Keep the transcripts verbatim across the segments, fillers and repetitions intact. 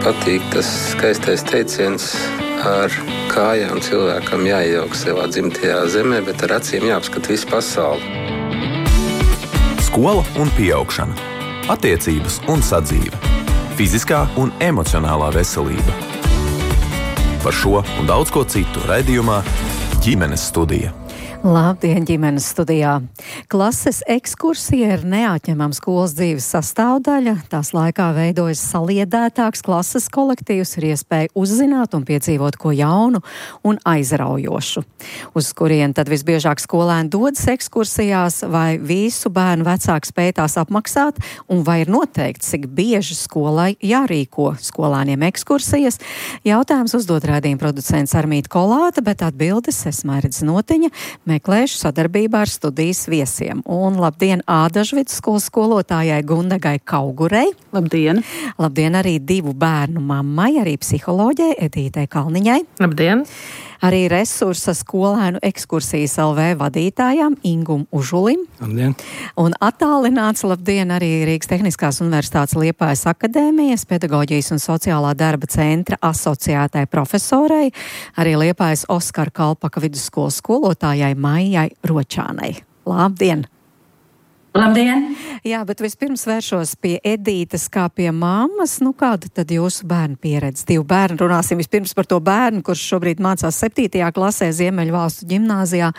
patīk tas skaistais teiciens ar kājām cilvēkam jāiejauka savā dzimtajā zemē, bet ar acīm jāapskata visu pasauli. Skola un pieaugšana, attiecības un sadzīve, fiziskā un emocionālā veselība. Par šo un daudz ko citu raidījumā Ģimenes studija. Labdien, ģimenes studijā! Klases ekskursija ir neatņemama skolas dzīves sastāvdaļa. Tās laikā veidojas saliedētāks klases kolektīvs, ir iespēja uzzināt un piedzīvot ko jaunu un aizraujošu. Uz kurien tad visbiežāk skolēni dodas ekskursijās, vai visu bērnu vecāki spēj tās apmaksāt, un vai ir noteikti, cik bieži skolai jārīko skolēniem ekskursijas? Jautājums uzdot raidījuma producents Armīta Kolāte, bet atbildes es Mairidze Notiņa meklēšu sadarbībā ar studijas viesiem. Un labdien Ādažu vidusskolas skolotājai Gundegai Kaugurei. Labdien! Labdien arī divu bērnu mammai, arī psiholoģei Edītei Kalniņai. Labdien! Arī resursa skolēnu ekskursijas L V vadītājām Ingum Užulim. Labdien! Un attālināts labdien arī Rīgas Tehniskās universitātes Liepājas akadēmijas pedagoģijas un sociālā darba centra asociētai profesorei, arī Liepājas Oskara Kalpaka vidusskolas skolotājai Maijai Ročānai. Labdien! Labdien! Jā, bet vispirms vēršos pie Edītes kā pie mammas. Nu, kāda tad jūsu bērnu pieredze? Divu bērnu runāsim vispirms par to bērnu, kurš šobrīd mācās septītajā klasē Ziemeļvalstu ģimnāzijā.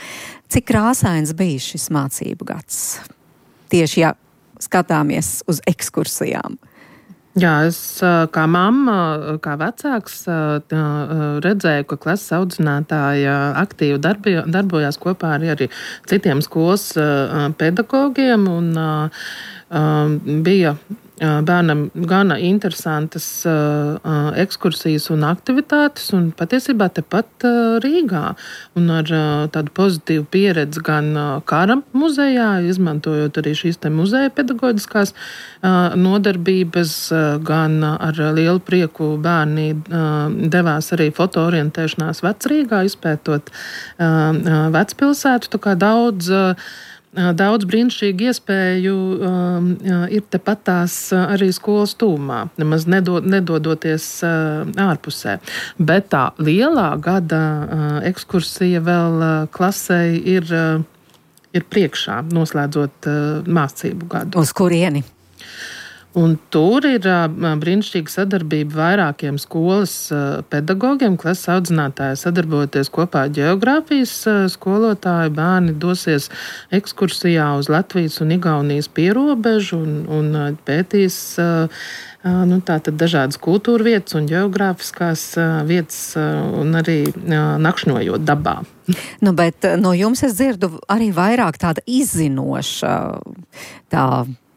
Cik krāsains bija šis mācību gads? Tieši, ja skatāmies uz ekskursijām. Jā, es kā mamma, kā vecāks redzēju, ka klases audzinātāja aktīvi darbi, darbojās kopā ar arī citiem skolas pedagogiem un bija bērnam gana interesantas uh, ekskursijas un aktivitātes, un patiesībā tepat uh, Rīgā. Un ar uh, tādu pozitīvu pieredzi gan uh, Kara muzejā, izmantojot arī šīs te muzeja pedagoģiskās uh, nodarbības, uh, gan uh, ar lielu prieku bērni uh, devās arī fotoorientēšanās Vecrīgā, izpētot uh, uh, Vecpilsētu, tā kā daudz uh, Daudz brīnišķīgu iespēju um, ir tepat tās arī skolas tūmā, nemaz nedod, nedodoties uh, ārpusē. Bet tā lielā gada uh, ekskursija vēl uh, klasei ir, uh, ir priekšā, noslēdzot uh, mācību gadu. Uz kurieni? Un tur ir uh, brīnišķīga sadarbība vairākiem skolas uh, pedagogiem, klases audzinātāji sadarbojoties kopā ar ģeogrāfijas uh, skolotāju. Bērni dosies ekskursijā uz Latvijas un Igaunijas pierobežu un, un uh, pētīs uh, uh, nu, tātad dažādas kultūra vietas un ģeogrāfiskās uh, vietas uh, un arī uh, nakšņojot dabā. Nu, bet no jums es dzirdu arī vairāk tāda izzinoša tā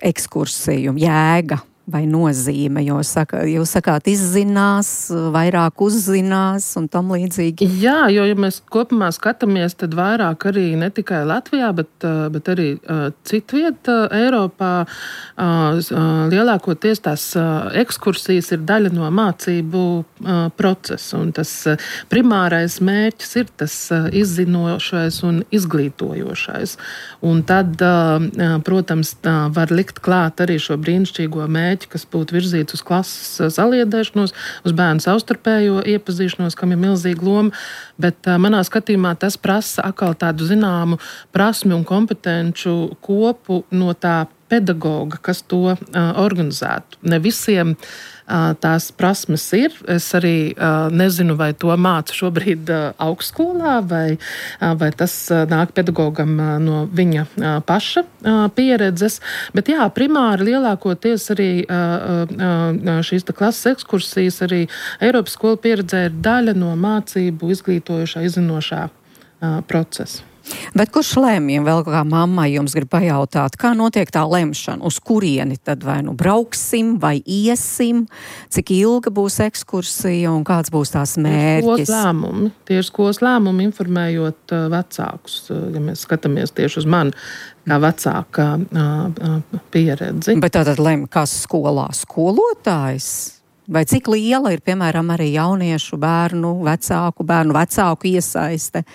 ekskursiju jēga vai nozīme, jo saka, jūs sakāt izzinās, vairāk uzzinās un tam līdzīgi. Jā, jo, ja mēs kopumā skatāmies, tad vairāk arī ne tikai Latvijā, bet, bet arī uh, citviet uh, Eiropā uh, lielākoties tās uh, ekskursijas ir daļa no mācību uh, procesa, un tas uh, primārais mērķis ir tas uh, izzinošais un izglītojošais. Un tad, uh, protams, tā var likt klāt arī šo brīnišķīgo mērķi, kas būtu virzīts uz klases saliedēšanos, uz bērnu savstarpējo iepazīšanos, kam ir milzīga loma, bet uh, manā skatījumā tas prasa atkal tādu zināmu prasmi un kompetenču kopu no tā pedagoga, kas to uh, organizētu. Ne visiem uh, tās prasmes ir. Es arī uh, nezinu, vai to māca šobrīd uh, augstskolā, vai, uh, vai tas uh, nāk pedagogam uh, no viņa uh, paša uh, pieredzes. Bet jā, primāri lielākoties arī uh, uh, šīs klases ekskursijas, arī Eiropas skolu pieredzē ir daļa no mācību izglītojošā, izzinošā uh, procesa. Bet kurš lēmj, vēl kā mammai jums grib pajautāt, kā notiek tā lemšana, uz kurieni tad vai nu brauksim, vai iesim, cik ilga būs ekskursija un kāds būs tās mērķis? Skolas lēmumi. Tie ir skolas lēmumi, informējot uh, vecākus, uh, ja mēs skatāmies tieši uz mani kā vecāka uh, uh, pieredzi. Bet tātad lemj, kas skolā skolotājs? Vai cik liela ir, piemēram, arī jauniešu bērnu, vecāku, bērnu vecāku iesaiste?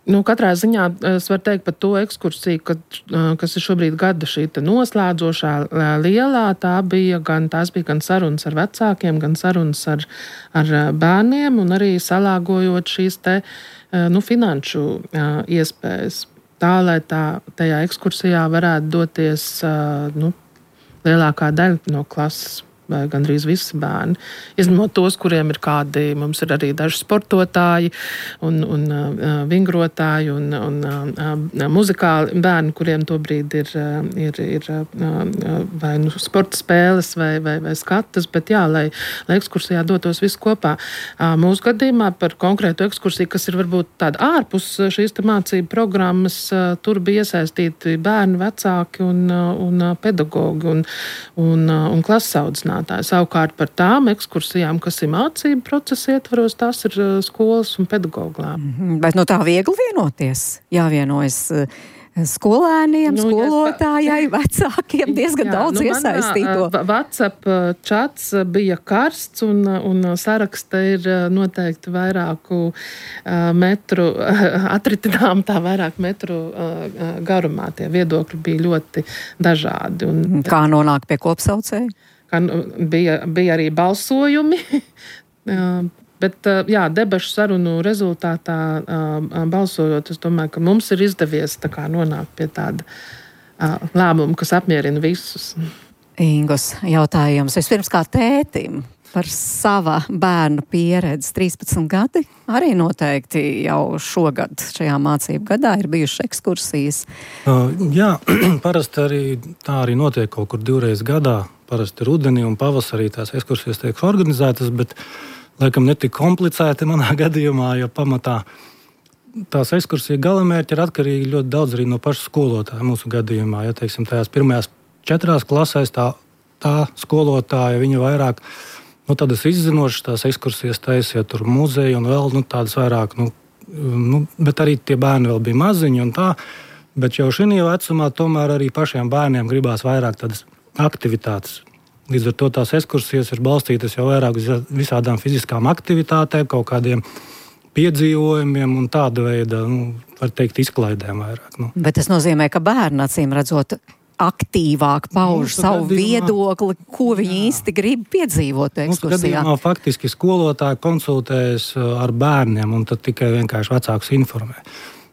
Nu, katrā ziņā es varu teikt par to ekskursiju, kad, kas ir šobrīd gada šī noslēdzošā lielā. Tā bija gan, tās bija gan sarunas ar vecākiem, gan sarunas ar, ar bērniem un arī salāgojot šīs te, nu, finanšu iespējas. Tā, lai tā, tajā ekskursijā varētu doties nu, lielākā daļa no klases. Vai gandrīz visi bērni. Izņemot tos, kuriem ir kādi, mums ir arī daži sportotāji un, un uh, vingrotāji un, un uh, muzikāli bērni, kuriem tobrīd ir, ir, ir uh, vai nu sporta spēles vai, vai, vai skatas, bet jā, lai, lai ekskursijā dotos visu kopā. Uh, mūsu gadījumā par konkrētu ekskursiju, kas ir varbūt tāda ārpus šīs mācību programmas, uh, tur bija iesaistīti bērni, vecāki un, uh, un uh, pedagogi un, un, uh, un klases audzinātāji. Savukārt par tām ekskursijām, kas ir mācību procesa ietvaros, tās ir skolas un pedagogu lēmumi. Mm-hmm. Bet no tā viegli vienoties? Jāvienojas skolēniem, nu, skolotājai, ja, vecākiem, diezgan jā, daudz nu, iesaistīto. Manā, WhatsApp čats bija karsts un, un saraksta ir noteikti vairāku metru, atritinām tā vairāk metru garumā. Tie viedokļi bija ļoti dažādi. Un, kā nonāk pie kopsaucēja? Bija, bija arī balsojumi, bet jā, debašu sarunu rezultātā balsojot, es domāju, ka mums ir izdevies tā kā nonākt pie tāda lēmuma, kas apmierina visus. Ingos jautājums vispirms kā tētim par sava bērnu pieredzi. trīspadsmit gadi arī noteikti jau šogad šajā mācību gadā ir bijušas ekskursijas. Uh, jā, parasti arī tā arī notiek kaut kur divreiz gadā. Parasti rudenī un pavasarī tās ekskursijas tiek organizētas, bet laikam netik komplicēti manā gadījumā, jo pamatā tās ekskursija galamērķi ir atkarīgi ļoti daudz arī no paša skolotāja mūsu gadījumā. Ja, teiksim, tajās pirmajās četrās klasēs tā, tā skolotāja, viņa vairāk, nu, tādas izzinošas tās ekskursijas taisīja tur muzeju un vēl, nu, tādas vairāk, nu, nu, bet arī tie bērni vēl bija maziņi un tā, bet jau šī vecumā tomēr arī pašiem bērniem gribās vairāk tādas aktivitātes. Līdz ar to tās ekskursijas ir balstītas jau vairāk uz visādām fiziskām aktivitātēm, kaut kādiem piedzīvojumiem un tāda veida, nu, var teikt, izklaidēm vairāk. Nu. Bet tas nozīmē, ka bērni, acīm redzot, aktīvāk pauž nu, savu gadījumā, viedokli, ko viņi jā. īsti grib piedzīvot ekskursijā. Gadījumā faktiski skolotāji konsultējas ar bērniem un tad tikai vienkārši vecākus informē.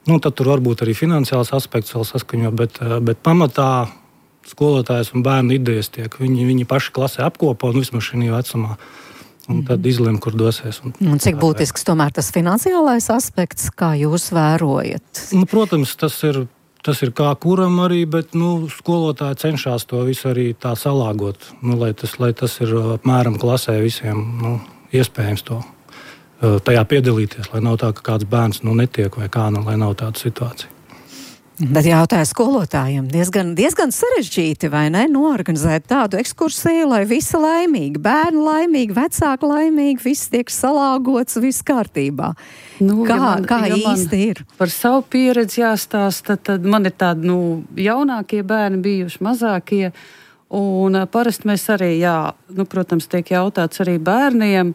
Nu, tad tur varbūt arī finansiāls aspekts vēl saskaņo, bet, bet pamatā skolotājs un bērnu idejas tiek. Viņi, viņi paši klasē apkopo un vismaz šī vecumā. Un tad izlem, kur dosies. Un, un cik būtisks tomēr tas finansiālais aspekts, kā jūs vērojat? Nu, protams, tas ir, tas ir kā kuram arī, bet nu, skolotāji cenšas to visu arī tā salāgot. Nu, lai, tas, lai tas ir apmēram klasē visiem nu, iespējams to tajā piedalīties. Lai nav tā, ka kāds bērns nu, netiek vai kā, nu, lai nav tāda situācija. Bet jautāju skolotājiem, diezgan, diezgan sarežģīti, vai ne, noorganizēt tādu ekskursiju, lai visi laimīgi, bērni laimīgi, vecāki laimīgi, viss tiek salāgots, viss kārtībā. Nu, kā ja man, kā ja īsti ir? Par savu pieredzi jāstāsta, tad man ir tādi, nu, jaunākie bērni bijuši, mazākie, un parasti mēs arī, jā, nu, protams, tiek jautāts arī bērniem.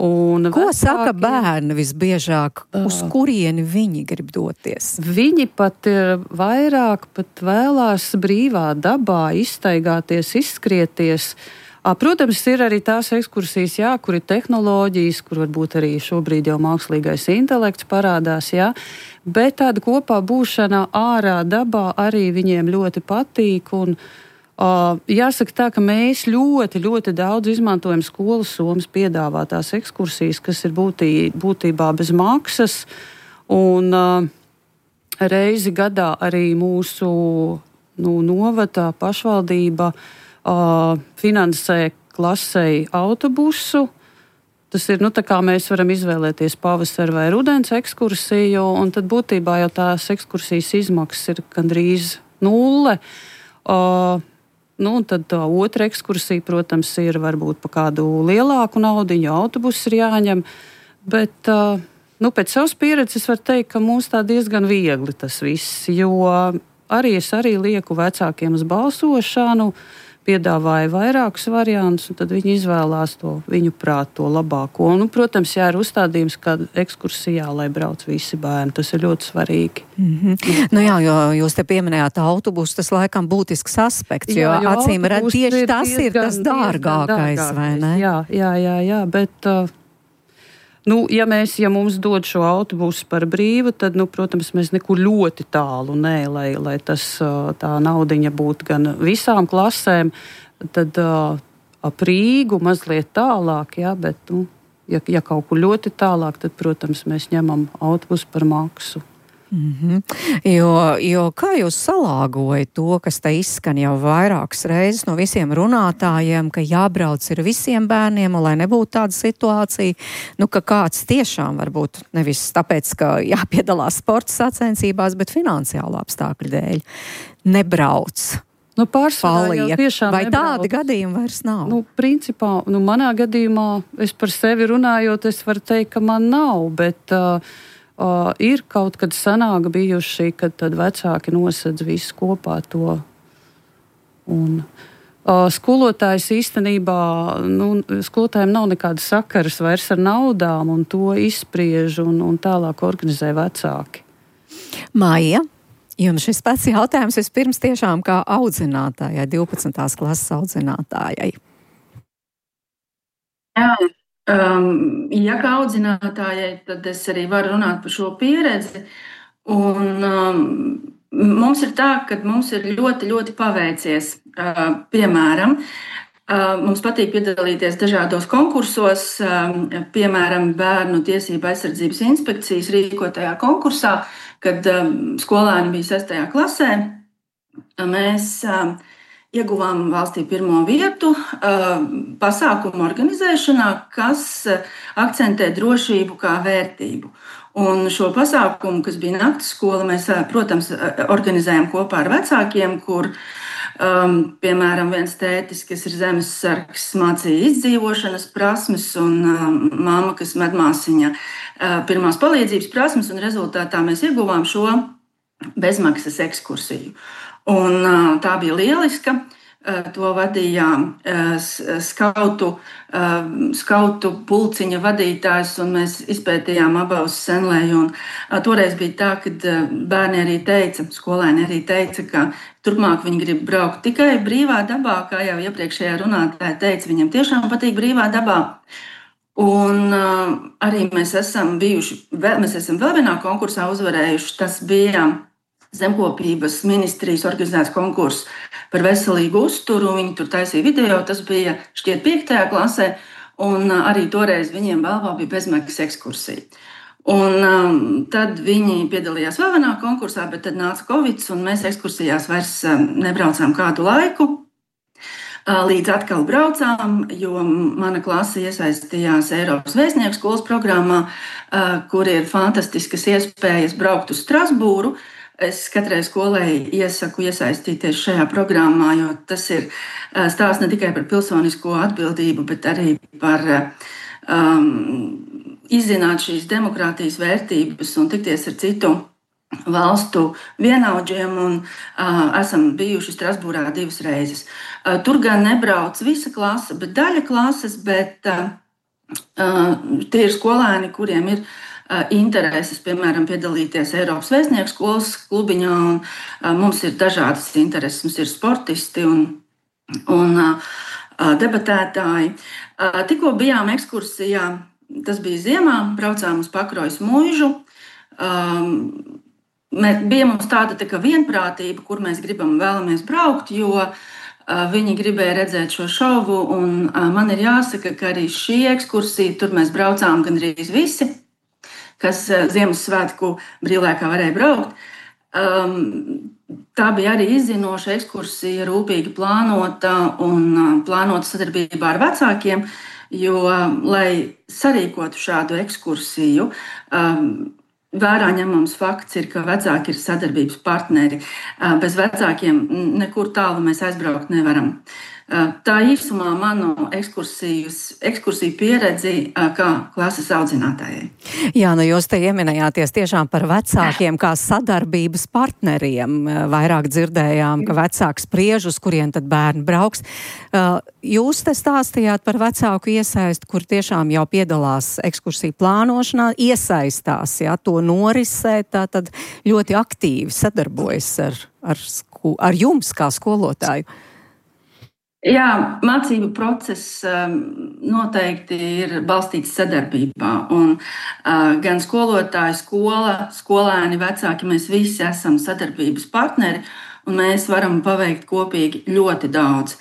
Un ko vecāki, saka bērni visbiežāk, uz kurieni viņi grib doties? Viņi pat ir vairāk pat vēlās brīvā dabā izstaigāties, izskrieties. Protams, ir arī tās ekskursijas, jā, kur ir tehnoloģijas, kur varbūt arī šobrīd jau mākslīgais intelekts parādās, jā. Bet tāda kopā būšana ārā dabā arī viņiem ļoti patīk un Uh, jāsaka tā, ka mēs ļoti, ļoti daudz izmantojam skolas somas piedāvātās ekskursijas, kas ir būtī, būtībā bez maksas, un uh, reizi gadā arī mūsu nu, novada pašvaldība uh, finansē klasei autobusu. Tas ir, nu, tā kā mēs varam izvēlēties pavasara vai rudens ekskursiju, un tad būtībā jau tās ekskursijas izmaksas ir gandrīz nulle. Uh, Nu, tad tā otra ekskursija, protams, ir varbūt pa kādu lielāku naudiņu, autobuss ir jāņem, bet nu, pēc savas pieredzes var teikt, ka mums tā diezgan viegli tas viss, jo arī es arī lieku vecākiem uz balsošanu, piedāvāja vairākus variantus, un tad viņi izvēlās to viņu prāt, to labāko. Un, nu, protams, jā, ir uzstādījums, ka ekskursijā, lai brauc visi bērni. Tas ir ļoti svarīgi. Mm-hmm. Nu jā, jo jūs te pieminējāt autobusu, tas laikam būtisks aspekts, jo, jā, jo acīm redz tieši tas diezgan, ir tas dārgākais, dārgākais, vai ne? Jā, jā, jā, jā, bet... Uh, Nu, ja, mēs, ja mums dod šo autobusu par brīvu, tad, nu, protams, mēs nekur ļoti tālu, nē, lai, lai tas, tā naudiņa būtu gan visām klasēm, tad uh, ap Rīgu mazliet tālāk, jā, bet, nu, ja, ja kaut kur ļoti tālāk, tad, protams, mēs ņemam autobusu par maksu. Mm-hmm. Jo, jo kā jūs salāgojat to, kas te izskan jau vairākas reizes no visiem runātājiem, ka jābrauc ir visiem bērniem, un lai nebūtu tāda situācija, nu, ka kāds tiešām varbūt nevis tāpēc, ka jāpiedalās sporta sacensībās, bet finansiālu apstākļu dēļ nebrauc. Nu, pārsvarā jau tiešām vai nebrauc. Tādi gadījumi vairs nav? Nu, principā, nu, manā gadījumā, es par sevi runājot, es varu teikt, ka man nav, bet... Uh, Uh, ir kaut kad sanāk bijuši, kad tad vecāki nosedz visu kopā to. Un, uh, skolotājs īstenībā, nu, skolotājiem nav nekāda sakaras vairs ar naudām, un to izspriež un, un tālāk organizē vecāki. Maija, jums šis pats jautājums vispirms tiešām kā audzinātājai, divpadsmitās klases audzinātājai. Jā. Um, ja kā audzinātājai, tad es arī varu runāt par šo pieredzi. Un, um, mums ir tā, ka mums ir ļoti, ļoti paveicies. Uh, piemēram, uh, mums patīk piedalīties dažādos konkursos, um, piemēram, Bērnu tiesību aizsardzības inspekcijas rīkotajā konkursā, kad um, skolēni bija sestajā klasē. Mēs um, ieguvām valstī pirmo vietu pasākumu organizēšanā, kas akcentē drošību kā vērtību. Un šo pasākumu, kas bija nakts skola, mēs, protams, organizējam kopā ar vecākiem, kur, um, piemēram, viens tētis, kas ir zemessargs, mācīja izdzīvošanas prasmes, un um, mamma, kas medmāsiņa, uh, pirmās palīdzības prasmes, un rezultātā mēs ieguvām šo bezmaksas ekskursiju. Un, uh, tā bija lieliska. Uh, to vadīja uh, skautu, uh, skautu pulciņa vadītājs, un mēs izpētījām abos Senlēju. Un, uh, toreiz bija tā, ka uh, bērni arī teica, skolēni arī teica, ka turpmāk viņi grib braukt tikai brīvā dabā, kā jau iepriekšējā runātāja teica, viņam tiešām patīk brīvā dabā. Un uh, arī mēs esam bijuši, vēl, mēs esam vēl vienā konkursā uzvarējuši, tas bija Zemkopības ministrijas organizēts konkurss par veselīgu uzturu. Viņi tur taisīja video, tas bija šķiet piektajā klasē, un arī toreiz viņiem balvā bija bezmaksas ekskursija. Un um, tad viņi piedalījās vēl vienā konkursā, bet tad nāca Covid, un mēs ekskursijās vairs um, nebraucām kādu laiku. Uh, līdz atkal braucām, jo mana klase iesaistījās Eiropas vēstnieku skolas programmā, uh, kur ir fantastiskas iespējas braukt uz Strasbūru. Es katrai skolai iesaku iesaistīties šajā programmā, jo tas ir stāsts ne tikai par pilsonisko atbildību, bet arī par um, izzināt šīs demokrātijas vērtības un tikties ar citu valstu vienaudžiem. Un, uh, esam bijuši Strasbūrā divas reizes. Uh, tur gan nebrauc visa klase, bet daļa klases, bet uh, uh, tie ir skolēni, kuriem ir intereses, piemēram, piedalīties Eiropas vēstnieku skolas klubiņā, un uh, mums ir dažādas intereses, mums ir sportisti un, un uh, debatētāji. Uh, tikko bijām ekskursijā, tas bija ziemā, braucām uz Pakrojas mūžu. Um, mēs, bija mums tāda tā kā vienprātība, kur mēs gribam vēlamies braukt, jo uh, viņi gribēja redzēt šo šovu, un uh, man ir jāsaka, ka arī šī ekskursija, tur mēs braucām gandrīz visi, kas Ziemassvētku brīvlaikā varēja braukt. Um, tā bija arī izzinoša ekskursija, rūpīgi plānota un plānota sadarbībā ar vecākiem, jo, lai sarīkotu šādu ekskursiju, um, vērā ņemams fakts ir, ka vecāki ir sadarbības partneri. Uh, bez vecākiem nekur tālu mēs aizbraukt nevaram. Tā īsumā manu ekskursiju pieredzi kā klases audzinātājai. Jā, nu jūs te ieminējāties tiešām par vecākiem kā sadarbības partneriem. Vairāk dzirdējām, ka vecāks spriež, uz kurien tad bērni brauks. Jūs te stāstījāt par vecāku iesaistu, kur tiešām jau piedalās ekskursiju plānošanā, iesaistās, jā, to norisē, tā tad ļoti aktīvi sadarbojas ar, ar, sku, ar jums kā skolotāju. Jā, mācību process noteikti ir balstīts sadarbībā. Un, uh, gan skolotāji, skola, skolēni, vecāki, mēs visi esam sadarbības partneri, un mēs varam paveikt kopīgi ļoti daudz.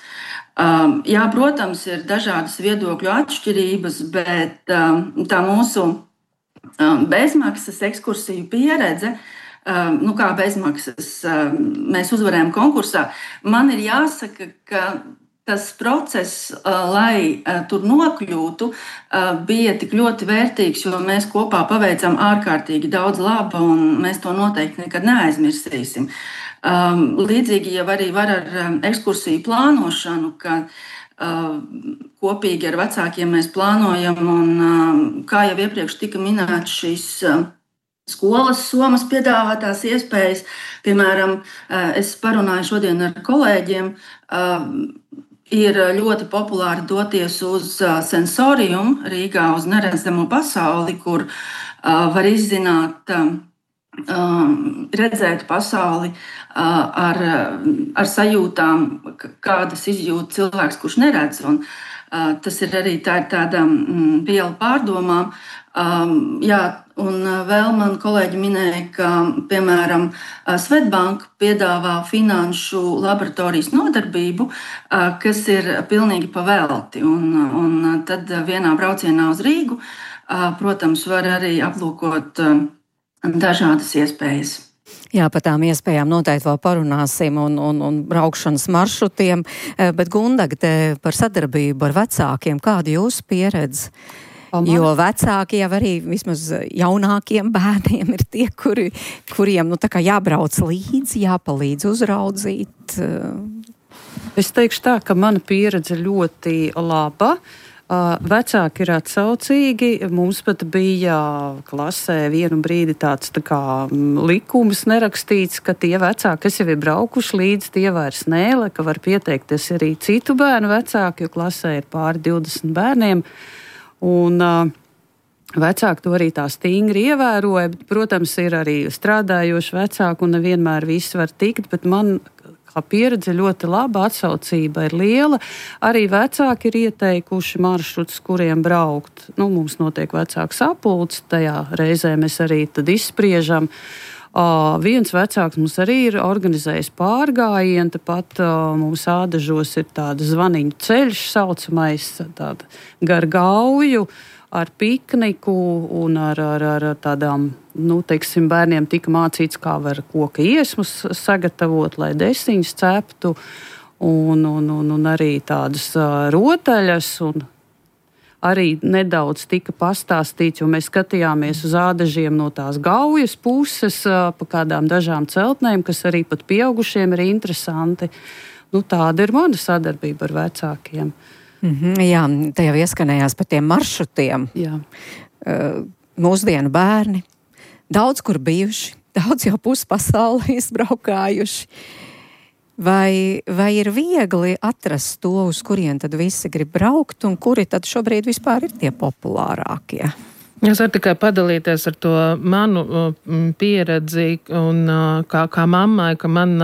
Um, jā, protams, ir dažādas viedokļu atšķirības, bet um, tā mūsu um, bezmaksas ekskursiju pieredze, um, nu kā bezmaksas, um, mēs uzvarējām konkursā, man ir jāsaka, ka tas process, lai tur nokļūtu, bija tik ļoti vērtīgs, jo mēs kopā paveicām ārkārtīgi daudz laba, un mēs to noteikti nekad neaizmirsīsim. Līdzīgi jau arī var ar ekskursiju plānošanu, ka kopīgi ar vecākiem mēs plānojam, un kā jau iepriekš tika minēts, šīs skolas Somas piedāvātās iespējas, piemēram, es parunāju šodien ar kolēģiem, ir ļoti populāri doties uz sensoriumu Rīgā, uz neredzamo pasauli, kur uh, var izzināt, uh, redzēt pasauli uh, ar, ar sajūtām, kādas izjūt cilvēks, kurš neredz. Un, uh, tas ir arī tā, tāda mm, viela pārdomām. Um, jā, un vēl man kolēģi minēja, ka, piemēram, Svetbank piedāvā finanšu laboratorijas nodarbību, uh, kas ir pilnīgi pavelti. Un, un tad vienā braucienā uz Rīgu, uh, protams, var arī aplūkot uh, dažādas iespējas. Jā, par tām iespējām noteikti vēl parunāsim un, un, un braukšanas maršrutiem, bet Gundaga par sadarbību ar vecākiem, kāda jūsu pieredze? Jo vecāki jau arī vismaz jaunākiem bērniem ir tie, kuri, kuriem nu, tā kā jābrauc līdzi, jāpalīdz uzraudzīt. Es teikšu tā, ka mana pieredze ļoti laba. Vecāki ir atsaucīgi. Mums pat bija klasē vienu brīdi tāds tā kā likums nerakstīts, ka tie vecāki, kas jau ir braukuši līdzi, tie vairs nē, ka var pieteikties arī citu bērnu vecāki, jo klasē ir pāri divdesmit bērniem. Un uh, vecāki to arī tā stingri ievēroja, bet, protams, ir arī strādājoši vecāki un nevienmēr visi var tikt, bet man kā pieredze ļoti laba, atsaucība ir liela. Arī vecāki ir ieteikuši maršrutus, kuriem braukt. Nu, mums notiek vecāku sapulcs, tajā reizē mēs arī tad izspriežam. Uh, viens vecāks mums arī ir organizējis pārgājienu, tāpat uh, mums Ādažos ir tāda zvaniņu ceļš saucamais, tāda gar gauju ar pikniku un ar, ar, ar tādām, nu, teiksim, bērniem tika mācīts, kā var koka iesmus sagatavot, lai desiņus ceptu, un, un, un, un arī tādas uh, rotaļas, un arī nedaudz tika pastāstīts, jo mēs skatījāmies uz Ādažiem no tās gaujas puses, pa kādām dažām celtnēm, kas arī pat pieaugušiem ir interesanti. Nu, tāda ir mana sadarbība ar vecākiem. Mm-hmm, jā, te jau ieskanējās par tiem maršrutiem. Jā. Uh, mūsdienu bērni daudz kur bijuši, daudz jau puspasauli izbraukājuši. Vai, vai ir viegli atrast to, uz kurien tad visi grib braukt, un kuri tad šobrīd vispār ir tie populārākie? Es varu tikai padalīties ar to manu pieredzi, un kā, kā mammai, ka man,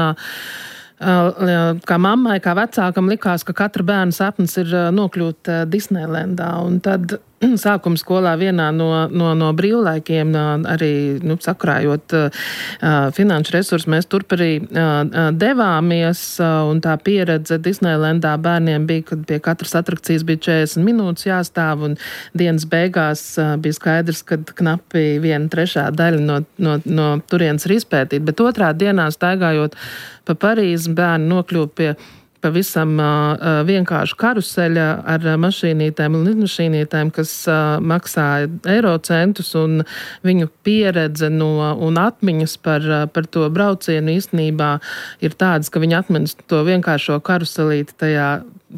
kā mammai, kā vecākam likās, ka katra bērna sapnis ir nokļūt Disneylandā, un tad sākuma skolā vienā no, no, no brīvlaikiem, arī nu, sakrājot uh, finanšu resursus, mēs turp arī uh, devāmies, uh, un tā pieredze Disneylandā bērniem bija, kad pie katras atrakcijas bija četrdesmit minūtes jāstāv, un dienas beigās uh, bija skaidrs, ka knapi viena trešā daļa no, no, no turienes ir izpētīta, bet otrā dienā staigājot pa Parīzi bērni nokļuva pie pavisam uh, vienkārši karuseļa ar mašīnītēm un lidmašīnītēm, kas uh, maksāja eiro centus, un viņu pieredze no, un atmiņas par, uh, par to braucienu īstenībā ir tādas, ka viņi atminas to vienkāršo karuselīti tajā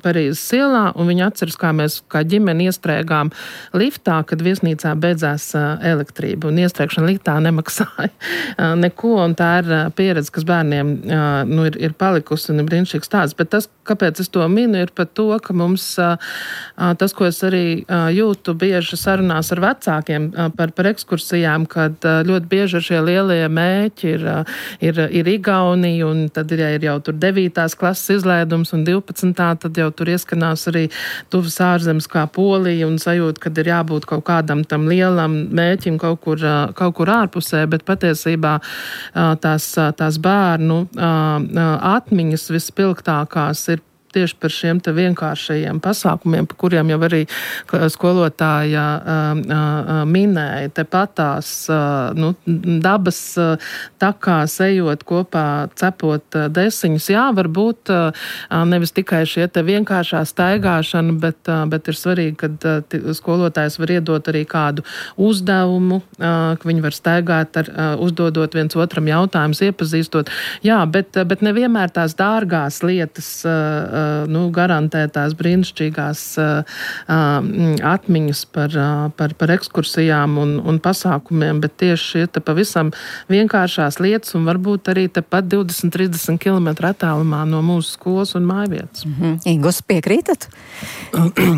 Parīzes ielā, un viņi atceras, kā mēs kā ģimeni iestrēgām liftā, kad viesnīcā beidzās elektrība, un iestrēgšana liftā nemaksāja neko, un tā ir pieredze, kas bērniem nu, ir, ir palikusi un ir brīnišķīgs tāds. Bet tas, kāpēc es to minu, ir par to, ka mums tas, ko es arī jūtu bieži sarunās ar vecākiem par, par ekskursijām, kad ļoti bieži šie lielie mēķi ir, ir, ir Igaunija, un tad ir, ja ir jau tur devītās klases izlaidums un divpadsmitā, tad jau tur ieskanās arī tuvas ārzemes kā Polija un sajūta, kad ir jābūt kaut kādam tam lielam mēķim kaut kur, kaut kur ārpusē, bet patiesībā tās, tās bērnu atmiņas vispilgtākās ir tieši par šiem te vienkāršajiem pasākumiem, par kuriem jau arī skolotāja minēja. Tepatās nu, dabas takās ejot kopā, cepot desiņus. Jā, varbūt nevis tikai šie te vienkāršā staigāšana, bet, bet ir svarīgi, kad skolotājs var iedot arī kādu uzdevumu, ka viņi var staigāt ar uzdodot viens otram jautājumus, iepazīstot. Jā, bet, bet nevienmēr tās dārgās lietas nu, garantē tās brīnišķīgās uh, atmiņas par, uh, par, par ekskursijām un, un pasākumiem, bet tieši šie te pavisam vienkāršās lietas un varbūt arī tepat divdesmit līdz trīsdesmit kilometru attālumā no mūsu skolas un mājvietas. Mm-hmm. Ingos, piekrītat?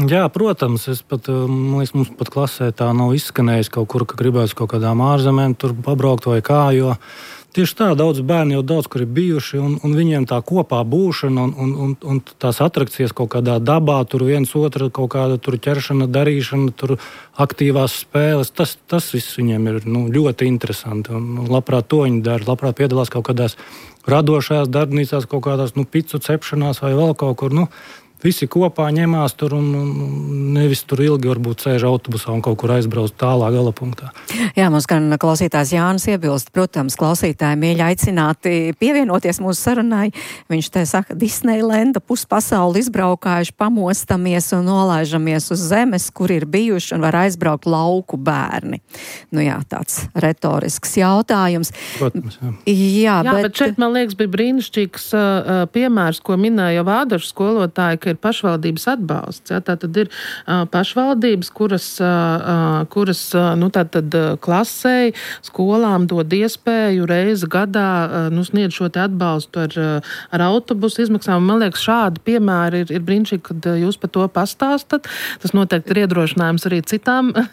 Jā, protams, es pat, man liekas, mums pat klasē tā nav izskanējis kaut kur, ka gribēs kaut kādām ārzemēm tur pabraukt vai kā, jo tieši tā, daudz bērni jau daudz, kur ir bijuši, un, un viņiem tā kopā būšana un, un, un, un tās atrakcijas kaut kādā dabā, tur viens otru kaut kāda tur ķeršana, darīšana, tur aktīvās spēles, tas, tas viss viņiem ir nu, ļoti interesanti, un labprāt to viņi dara, labprāt piedalās kaut kādās radošajās darbnīcās, kaut kādās nu, picu cepšanās vai vēl kaut kur, nu, visi kopā ņemās tur un, un nevis tur ilgi varbūt sēž autobusā un kaut kur aizbrauc tālā gala punktā. Jā, mums gan klausītājs Jānis iebilst, protams, klausītāji mīļi aicināti pievienoties mūsu sarunai. Viņš te saka, Disneylenda puspasauli izbraukājuši, pamostamies un nolaižamies uz zemes, kur ir bijuši un var aizbraukt lauku bērni. Nu jā, tāds retorisks jautājums. Protams, jā. Jā, jā bet... bet šeit, man liekas, bija brīnišķīgs uh, piemērs, ko minēja Vādašu skolotāji, ir pašvaldības atbalsts. Ja? Tā tad ir uh, pašvaldības, kuras, uh, kuras uh, nu, tā tad uh, klasei, skolām dod iespēju reizi gadā uh, nu, sniedz šo te atbalstu ar, uh, ar autobusu izmaksām. Man liekas, šādi piemēri ir, ir brīnišķīgi, kad uh, jūs par to pastāstat. Tas noteikti ir iedrošinājums arī citām uh,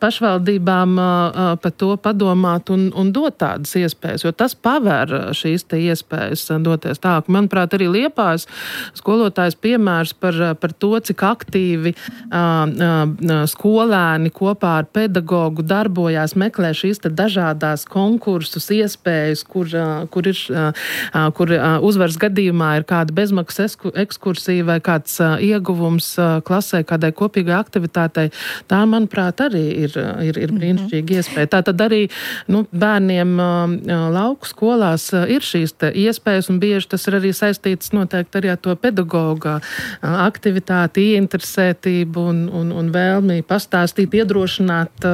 pašvaldībām uh, par to padomāt un, un dot tādas iespējas, jo tas paver šīs te iespējas uh, doties tā. Manuprāt, arī Liepājas skolotājs piemērs Par, par to, cik aktīvi uh, uh, skolēni kopā ar pedagogu darbojās, meklē šīs te dažādās konkursus, iespējas, kur, uh, kur, ir, uh, kur uh, uzvaras gadījumā ir kāda bezmaksas ekskursija vai kāds uh, ieguvums uh, klasē, kādai kopīgai aktivitātei. Tā, manuprāt, arī ir, ir, ir brīnišķīga iespēja. Tā tad arī nu, bērniem uh, lauku skolās uh, ir šīs te iespējas, un bieži tas ir arī saistīts noteikti arī ar to pedagoga aktivitāti, ieinteresētību un, un, un vēlmi pastāstīt, iedrošināt,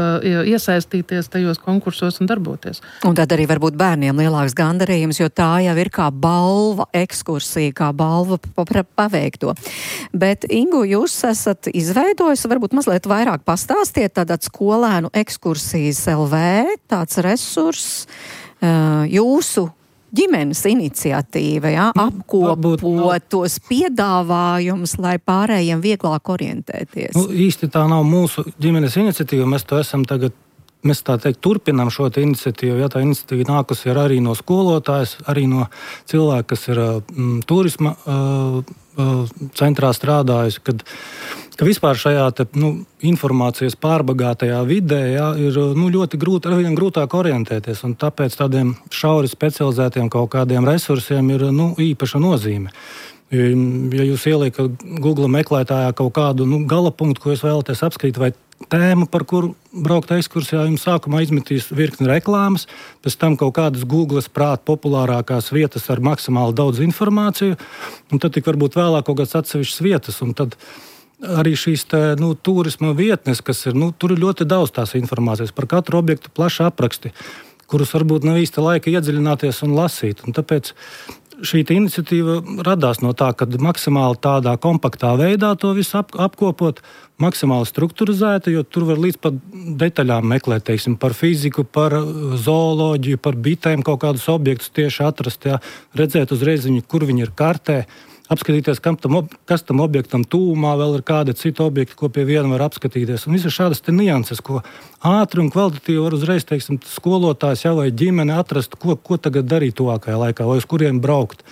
iesaistīties tajos konkursos un darboties. Un tad arī varbūt bērniem lielāks gandarījums, jo tā jau ir kā balva ekskursija, kā balva paveikto. Bet, Ingu, jūs esat izveidojis, varbūt mazliet vairāk pastāstiet, tātad skolēnu ekskursijas L V, tāds resurss, jūsu ģimenes iniciatīva, ja, apkopot tos piedāvājumus, lai pārējiem vieglāk orientēties. Nu, īsti tā nav mūsu ģimenes iniciatīva, mēs to esam tagad, mēs tā teikt, turpinām šo te iniciatīvu, ja tā iniciatīva nākusi ir arī no skolotājas, arī no cilvēka, kas ir mm, turisma uh, uh, centrā strādājis, kad ka vispār šajā te, nu, informācijas pārbagātajā vidē jā, ir nu, ļoti grūti, arvien grūtāk orientēties, un tāpēc tādiem šauri specializētiem kaut kādiem resursiem ir nu, īpaša nozīme. Ja jūs ieliekat Google meklētājā kaut kādu nu, galapunktu, ko jūs vēlaties apskatīt, vai tēmu, par kuru braukt ekskursijā, jums sākumā izmetīs virkni reklāmas, pēc tam kaut kādas Googles prāt populārākās vietas ar maksimāli daudz informāciju, un tad tik varbūt vēlāk kaut kāds atsevišķas vietas, un tad arī šīs te, nu, turisma vietnes, kas ir, nu, tur ir ļoti daudz tās informācijas par katru objektu plaši apraksti, kurus varbūt nav īsti laika iedziļināties un lasīt. Un tāpēc šī iniciatīva radās no tā, ka maksimāli tādā kompaktā veidā to visu ap, apkopot, maksimāli strukturizēta, jo tur var līdz pat detaļām meklēt, teiksim, par fiziku, par zooloģiju, par bitēm kaut kādus objektus tieši atrast, jā, redzēt uzreiz viņu, kur viņi ir kartē, apskatīties, kam tam, kas tam objektam tūmā, vēl ir kādi citi objekti, ko pie viena var apskatīties. Un visas šādas te nianses, ko ātri un kvalitatīvi var uzreiz, teiksim, skolotājs jau vai ģimene atrast, ko, ko tagad darīt tuvākajā laikā, vai uz kuriem braukt.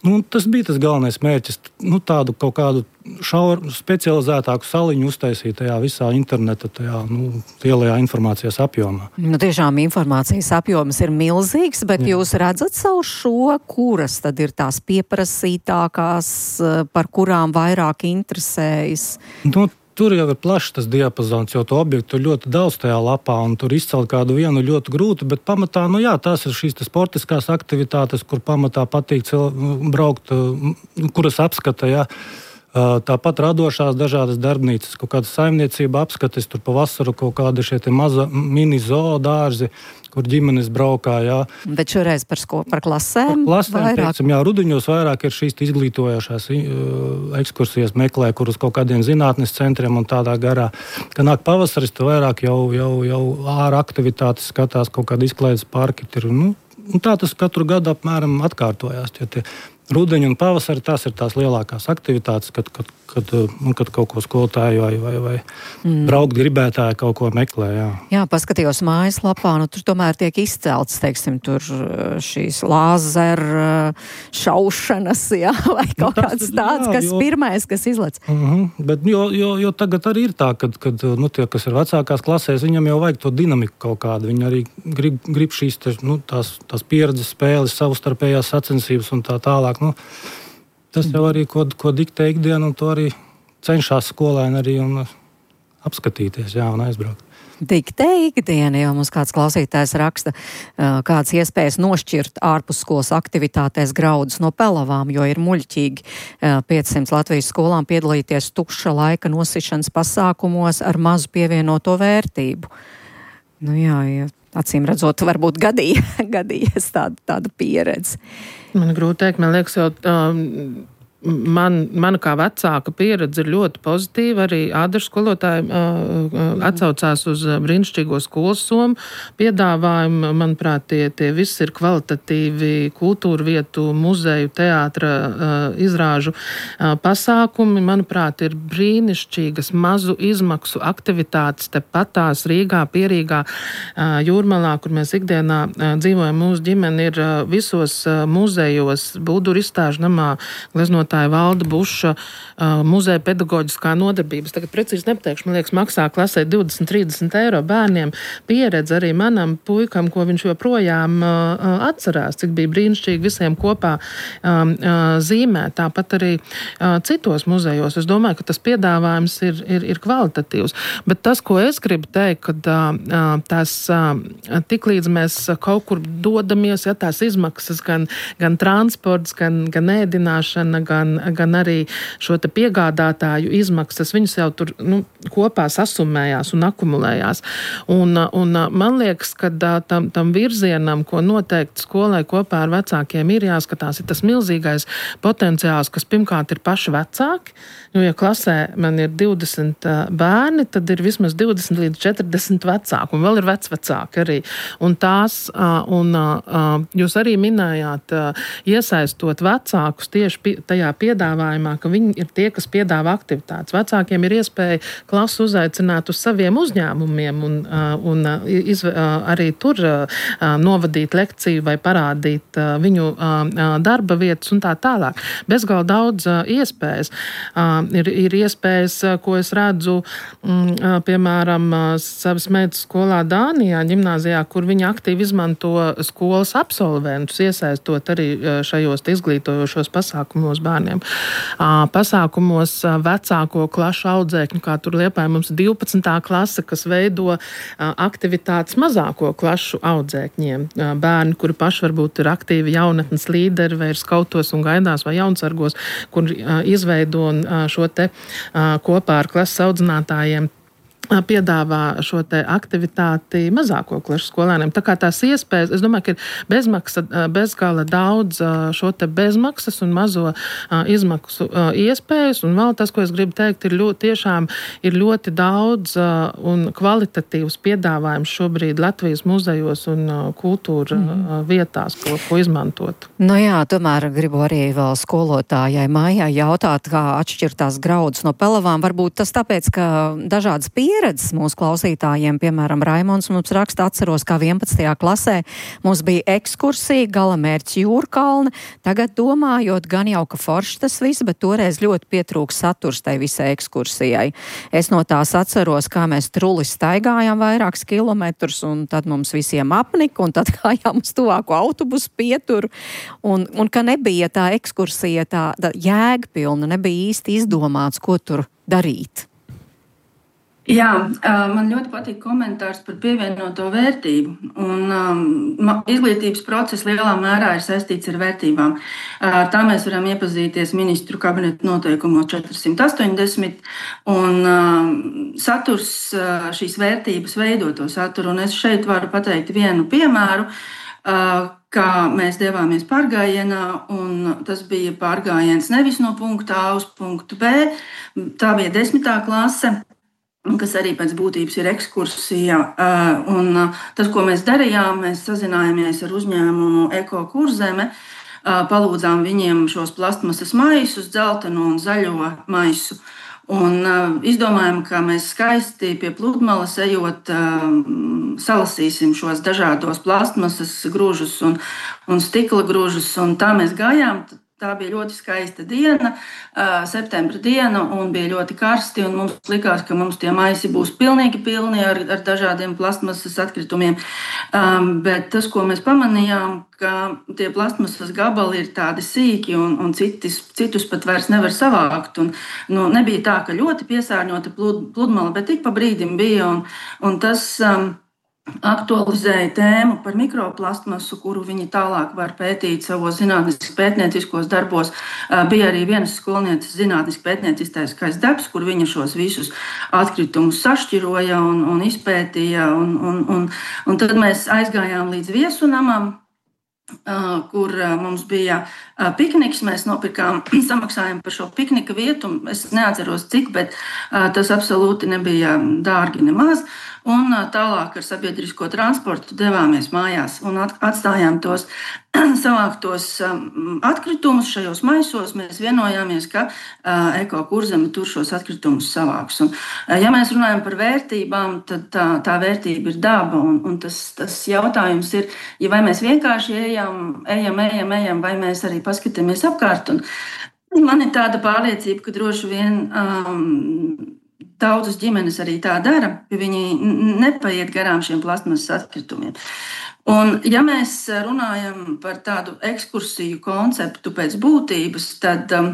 Nu, tas bija tas galvenais mērķis, nu, tādu kaut kādu šauru, specializētāku saliņu uztaisīt tajā visā interneta, tajā, nu, lielajā informācijas apjomā. Nu, tiešām informācijas apjoms ir milzīgs, bet Jā. Jūs redzat savu šo, kuras tad ir tās pieprasītākās, par kurām vairāk interesējas? Nu, tur jau ir plašs tas diapazons, jo to objektu ir ļoti daudz tajā lapā, un tur izcelt kādu vienu ļoti grūti, bet pamatā, nu jā, tās ir šīs sportiskās aktivitātes, kur pamatā patīk cil, braukt, kuras apskata, jā. Tāpat radošās dažādas darbnīcas, kaut kāda saimniecība apskates, tur pa vasaru kaut kādi šie te maza mini zoodārzi, kur ģimenes braukā, jā. Bet šoreiz par, sko, par klasēm? Par klasēm, teiksim, jā, rudiņos vairāk ir šīs izglītojošās ekskursijas meklē, kur uz kaut kādiem zinātnes centriem un tādā garā. Kad nāk pavasaris, tu vairāk jau, jau, jau ārā aktivitātes skatās, kaut kādi izklaides parki ir, nu, un tā tas katru gadu apmēram atkārtojās, jo tie rudeņi un pavasari, tās ir tās lielākās aktivitātes, kad, kad, kad, kad kaut ko skolotāji vai, vai, vai mm. braukt gribētāji kaut ko meklē. Jā, jā paskatījos mājaslapā, nu tur tomēr tiek izcelts, teiksim, tur šīs lāzeru šaušanas, jā, vai kaut nu, tas, kāds tāds, jā, kas jo, pirmais, kas izlec. Uh-huh, bet jo, jo, jo tagad arī ir tā, kad, kad nu, tie, kas ir vecākās klasēs, viņam jau vajag to dinamiku kaut kādu. Viņi arī grib, grib šīs te, nu, tās, tās pieredzes spēles, savstarpējās sacensības un tā tālāk. Nu, tas jau arī, ko, ko diktē ikdienu, un to arī cenšas skolēni arī un apskatīties, jā, un aizbraukt. Diktē ikdiena, jau mums kāds klausītājs raksta, kāds iespējas nošķirt ārpusskolas aktivitātēs graudus no pelavām, jo ir muļķīgi piecsimt Latvijas skolām piedalīties tukša laika nosišanas pasākumos ar mazu pievienoto vērtību. Nu jā, jā. Acīm redzot, varbūt gadīja, gadījies tāda, tāda pieredze. Man grūti teikt, man liekas, jau um, man, mana kā vecāka pieredze ir ļoti pozitīva. Arī ādažu skolotāji uh, atsaucās uz brīnišķīgo skolas somu piedāvājumu. Manuprāt, tie, tie visi ir kvalitatīvi kultūra vietu, muzeju, teātra uh, izrāžu uh, pasākumi. Manuprāt, ir brīnišķīgas mazu izmaksu aktivitātes tepat Rīgā, Pierīgā, uh, Jūrmalā, kur mēs ikdienā uh, dzīvojam. Mūsu ģimene ir uh, visos uh, muzejos, Bulduru izstāžu namā, gleznotā Valda Buša uh, muzeja pedagoģiskā nodarbības. Tagad precīzi nepateikšu, man liekas, maksā klasē divdesmit trīsdesmit eiro bērniem. Pieredze arī manam puikam, ko viņš joprojām uh, atcerās, cik bija brīnišķīgi visiem kopā um, uh, zīmē. Tāpat arī uh, citos muzejos. Es domāju, ka tas piedāvājums ir, ir, ir kvalitatīvs. Bet tas, ko es gribu teikt, kad uh, tās uh, tiklīdz mēs kaut kur dodamies, ja tās izmaksas, gan, gan transports, gan, gan ēdināšana, gan gan arī šo te piegādātāju izmaksas, viņas jau tur nu, kopā sasumējās un akumulējās. Un, un man liekas, ka tam, tam virzienam, ko noteikti skolai kopā ar vecākiem ir jāskatās, ir tas milzīgais potenciāls, kas pirmkārt ir paši vecāki, jo ja klasē man ir divdesmit bērni, tad ir vismaz divdesmit līdz četrdesmit vecāki, un vēl ir vecvecāki arī. Un tās, un jūs arī minējāt, iesaistot vecākus tieši pie, tajā piedāvājumā, ka viņi ir tie, kas piedāvā aktivitātes. Vecākiem ir iespēja klasu uzaicināt uz saviem uzņēmumiem un, un iz, arī tur novadīt lekciju vai parādīt viņu darba vietas un tā tālāk. Bezgalīgi daudz iespējas. Ir, ir iespējas, ko es redzu, piemēram, savas meitas skolā Dānijā, ģimnāzijā, kur viņi aktīvi izmanto skolas absolventus, iesaistot arī šajos izglītojošos pasākumos bērniem. Pasākumos vecāko klašu audzēkņu, kā tur Liepājā mums divpadsmitā klase, kas veido aktivitātes mazāko klašu audzēkņiem. Bērni, kuri paši varbūt ir aktīvi jaunatnes līderi, vai ir skautos un gaidās, vai jaunsargos, kur izveido šo te kopā ar klases audzinātājiem piedāvā šo te aktivitāti mazāko klašu skolēniem. Tā kā tās iespējas, es domāju, ka ir bezmaksa, bezgala daudz šo te bezmaksas un mazo izmaksu iespējas, un vēl tas, ko es gribu teikt, ir ļoti, tiešām ir ļoti daudz un kvalitatīvs piedāvājums šobrīd Latvijas muzejos un kultūra mm. vietās, ko, ko izmantot. Nu jā, tomēr gribu arī vēl skolotājai Maijai jautāt, kā atšķirtās graudus no pelavām. Varbūt tas tāpēc, ka dažādas pieredzes pieredzes mūsu klausītājiem, piemēram, Raimons mums raksta, atceros, kā vienpadsmitajā klasē mums bija ekskursija, galamērķis Jūrkalne. Tagad domājot, gan jau, ka forši tas viss, bet toreiz ļoti pietrūks saturs tai visai ekskursijai. Es no tās atceros, kā mēs truli staigājām vairākus kilometrus, un tad mums visiem apnika, un tad gājām uz tuvāko autobusu pieturu, un, un ka nebija tā ekskursija tā, tā jēgpilna, nebija īsti izdomāts, ko tur darīt. Jā, man ļoti patīk komentārs par pievienoto vērtību. Un, um, izglītības process lielā mērā ir saistīts ar vērtībām. Uh, tā mēs varam iepazīties ministru kabineta noteikumos četri astoņdesmit, un um, saturs uh, šīs vērtības veido to saturu. Un es šeit varu pateikt vienu piemēru, uh, kā mēs devāmies pārgājienā, un tas bija pārgājiens nevis no punkta A uz punktu B, tā bija desmitā klase, kas arī pēc būtības ir ekskursija. Un tas, ko mēs darījām, mēs sazinājāmies ar uzņēmumu Eko Kurzeme, palūdzām viņiem šos plastmasas maisus, dzeltenu un zaļo maisu. Un izdomājām, ka mēs skaisti pie pludmales ejot salasīsim šos dažādos plastmasas grūžus un, un stikla grūžus, un tā mēs gājām. Tā bija ļoti skaista diena, septembra diena, un bija ļoti karsti, un mums likās, ka mums tie maisi būs pilnīgi pilni ar, ar dažādiem plastmasas atkritumiem. Um, bet tas, ko mēs pamanījām, ka tie plastmasas gabali ir tādi sīki, un, un citis, citus pat vairs nevar savākt. Un, nu, nebija tā, ka ļoti piesārņota plud, pludmale, bet tik pa brīdim bija, un, un tas... Um, aktualizēja tēmu par mikroplastmasu, kuru viņi tālāk var pētīt savos zinātniskos pētnieciskos darbos. Bija arī vienas skolnieces zinātniski pētnieciskais darbs, kur viņa šos visus atkritumus sašķiroja un, un izpētīja. Un, un, un, un tad mēs aizgājām līdz Viesunamam, kur mums bija pikniks. Mēs nopirkām, samaksājām par šo piknika vietu. Es neatceros cik, bet tas absolūti nebija dārgi nemaz. Un tālāk ar sabiedrisko transportu devāmies mājās un atstājām tos savāktos atkritumus šajos maisos. Mēs vienojāmies, ka Eko Kurzeme tur šos atkritumus savāks. Un, ja mēs runājam par vērtībām, tad tā, tā vērtība ir daba. Un, un tas, tas jautājums ir, ja vai mēs vienkārši ejam, ejam, ejam, ejam, vai mēs arī paskatāmies apkārt. Un man ir tāda pārliecība, ka droši vien um, daudzas ģimenes arī tā dara, ka viņi nepaiet garām šiem plastmasas atkritumiem. Un, ja mēs runājam par tādu ekskursiju konceptu pēc būtības, tad um,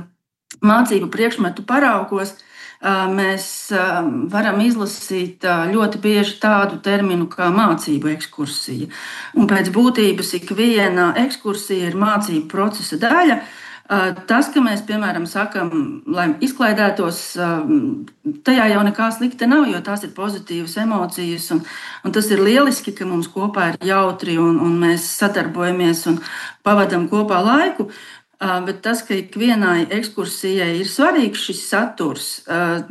mācību priekšmetu paraugos uh, mēs uh, varam izlasīt uh, ļoti bieži tādu terminu kā mācību ekskursija. Un pēc būtības ikviena ekskursija ir mācību procesa daļa. Tas, ka mēs, piemēram, sakam, lai izklaidētos, tajā jau nekā slikta nav, jo tās ir pozitīvas emocijas, un, un tas ir lieliski, ka mums kopā ir jautri, un, un mēs sadarbojamies un pavadam kopā laiku, bet tas, ka ikvienai ekskursijai ir svarīgs šis saturs,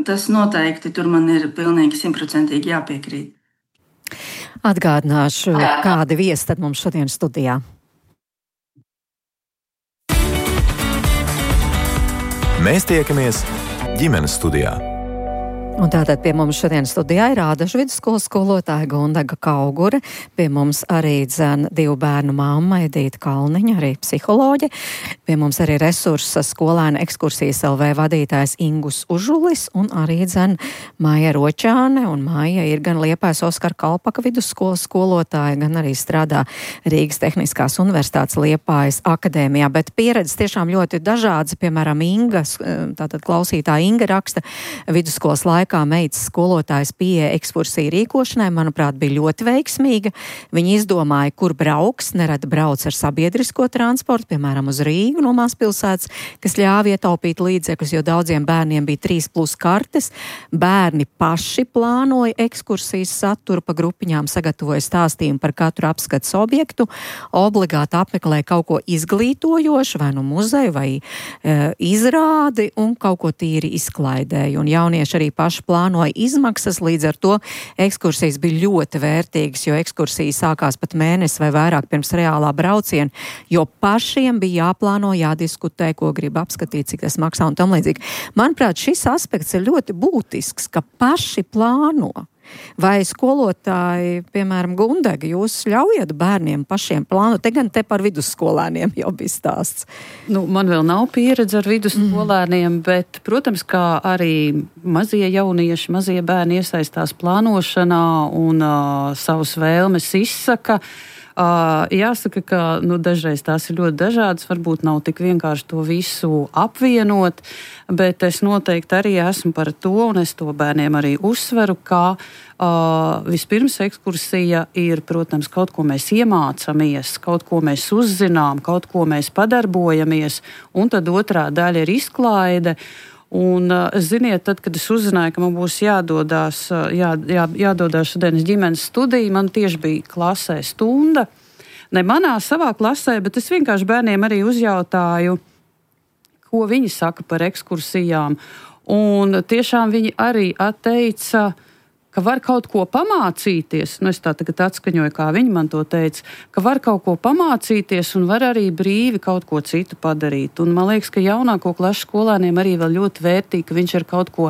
tas noteikti tur man ir pilnīgi simtprocentīgi jāpiekrīt. Atgādināšu, kādi viesi tad mums šodien studijā. Mēs tiekamies ģimenes studijā. Un tātad pie mums šodien studijā ir Ādažu vidusskolas skolotāja Gundaga Kaugure, pie mums arī dzen divu bērnu mamma Edīta Kalniņa, arī psiholoģe, pie mums arī resursa skolēna ekskursijas L V vadītājs Ingus Užulis un arī dzen Maija Ročāne, un Maija ir gan Liepājas Oskara Kalpaka vidusskolas skolotāja, gan arī strādā Rīgas Tehniskās universitātes Liepājas akadēmijā, bet pieredzes tiešām ļoti dažādas, piemēram, Ingas, tātad klausītāja Inga raksta vidusskolas laikā. laikā meitas skolotājas pieeja ekskursiju rīkošanai, manuprāt, bija ļoti veiksmīga. Viņi izdomāja, kur brauks, nerad brauc ar sabiedrisko transportu, piemēram, uz Rīgu no mazpilsētas, kas ļāva ietaupīt līdzekļus, jo daudziem bērniem bija trīs plus kartes. Bērni paši plānoja ekskursijas saturu, pa grupiņām sagatavoja stāstījumu par katru apskates objektu, obligāti apmeklēja kaut ko izglītojošu, vai nu muzeju, vai e, izrādi, un kaut ko tīri izklaidēja. Un jaunieši arī paši plānoja izmaksas, līdz ar to ekskursijas bija ļoti vērtīgas, jo ekskursija sākās pat mēnesi vai vairāk pirms reālā brauciena, jo pašiem bija jāplāno, jādiskutē, ko grib apskatīt, cik tas maksā un tam līdzīgi. Manuprāt, šis aspekts ir ļoti būtisks, ka paši plāno. Vai skolotāji, piemēram, Gundega, jūs ļaujat bērniem pašiem plānot? Te gan te par vidusskolēniem jau bija stāsts. Nu, man vēl nav pieredze ar vidusskolēniem, mm. bet, protams, kā arī mazie jaunieši, mazie bērni iesaistās plānošanā un uh, savus vēlmes izsaka. Uh, jāsaka, ka nu, dažreiz tās ir ļoti dažādas, varbūt nav tik vienkārši to visu apvienot, bet es noteikti arī esmu par to, un es to bērniem arī uzsveru, ka uh, vispirms ekskursija ir, protams, kaut ko mēs iemācamies, kaut ko mēs uzzinām, kaut ko mēs padarbojamies, un tad otrā daļa ir izklaide. Un, ziniet, tad, kad es uzzināju, ka man būs jādodās, jā, jā, jādodās šodienas ģimenes studija, man tieši bija klasē stunda. Ne manā savā klasē, bet es vienkārši bērniem arī uzjautāju, ko viņi saka par ekskursijām. Un tiešām viņi arī atteica, ka var kaut ko pamācīties, nu es tā tagad atskaņoju, kā viņi man to teica, ka var kaut ko pamācīties un var arī brīvi kaut ko citu padarīt. Un man liekas, ka jaunāko klašu skolēniem arī vēl ļoti vērtīgi, ka viņš ir kaut ko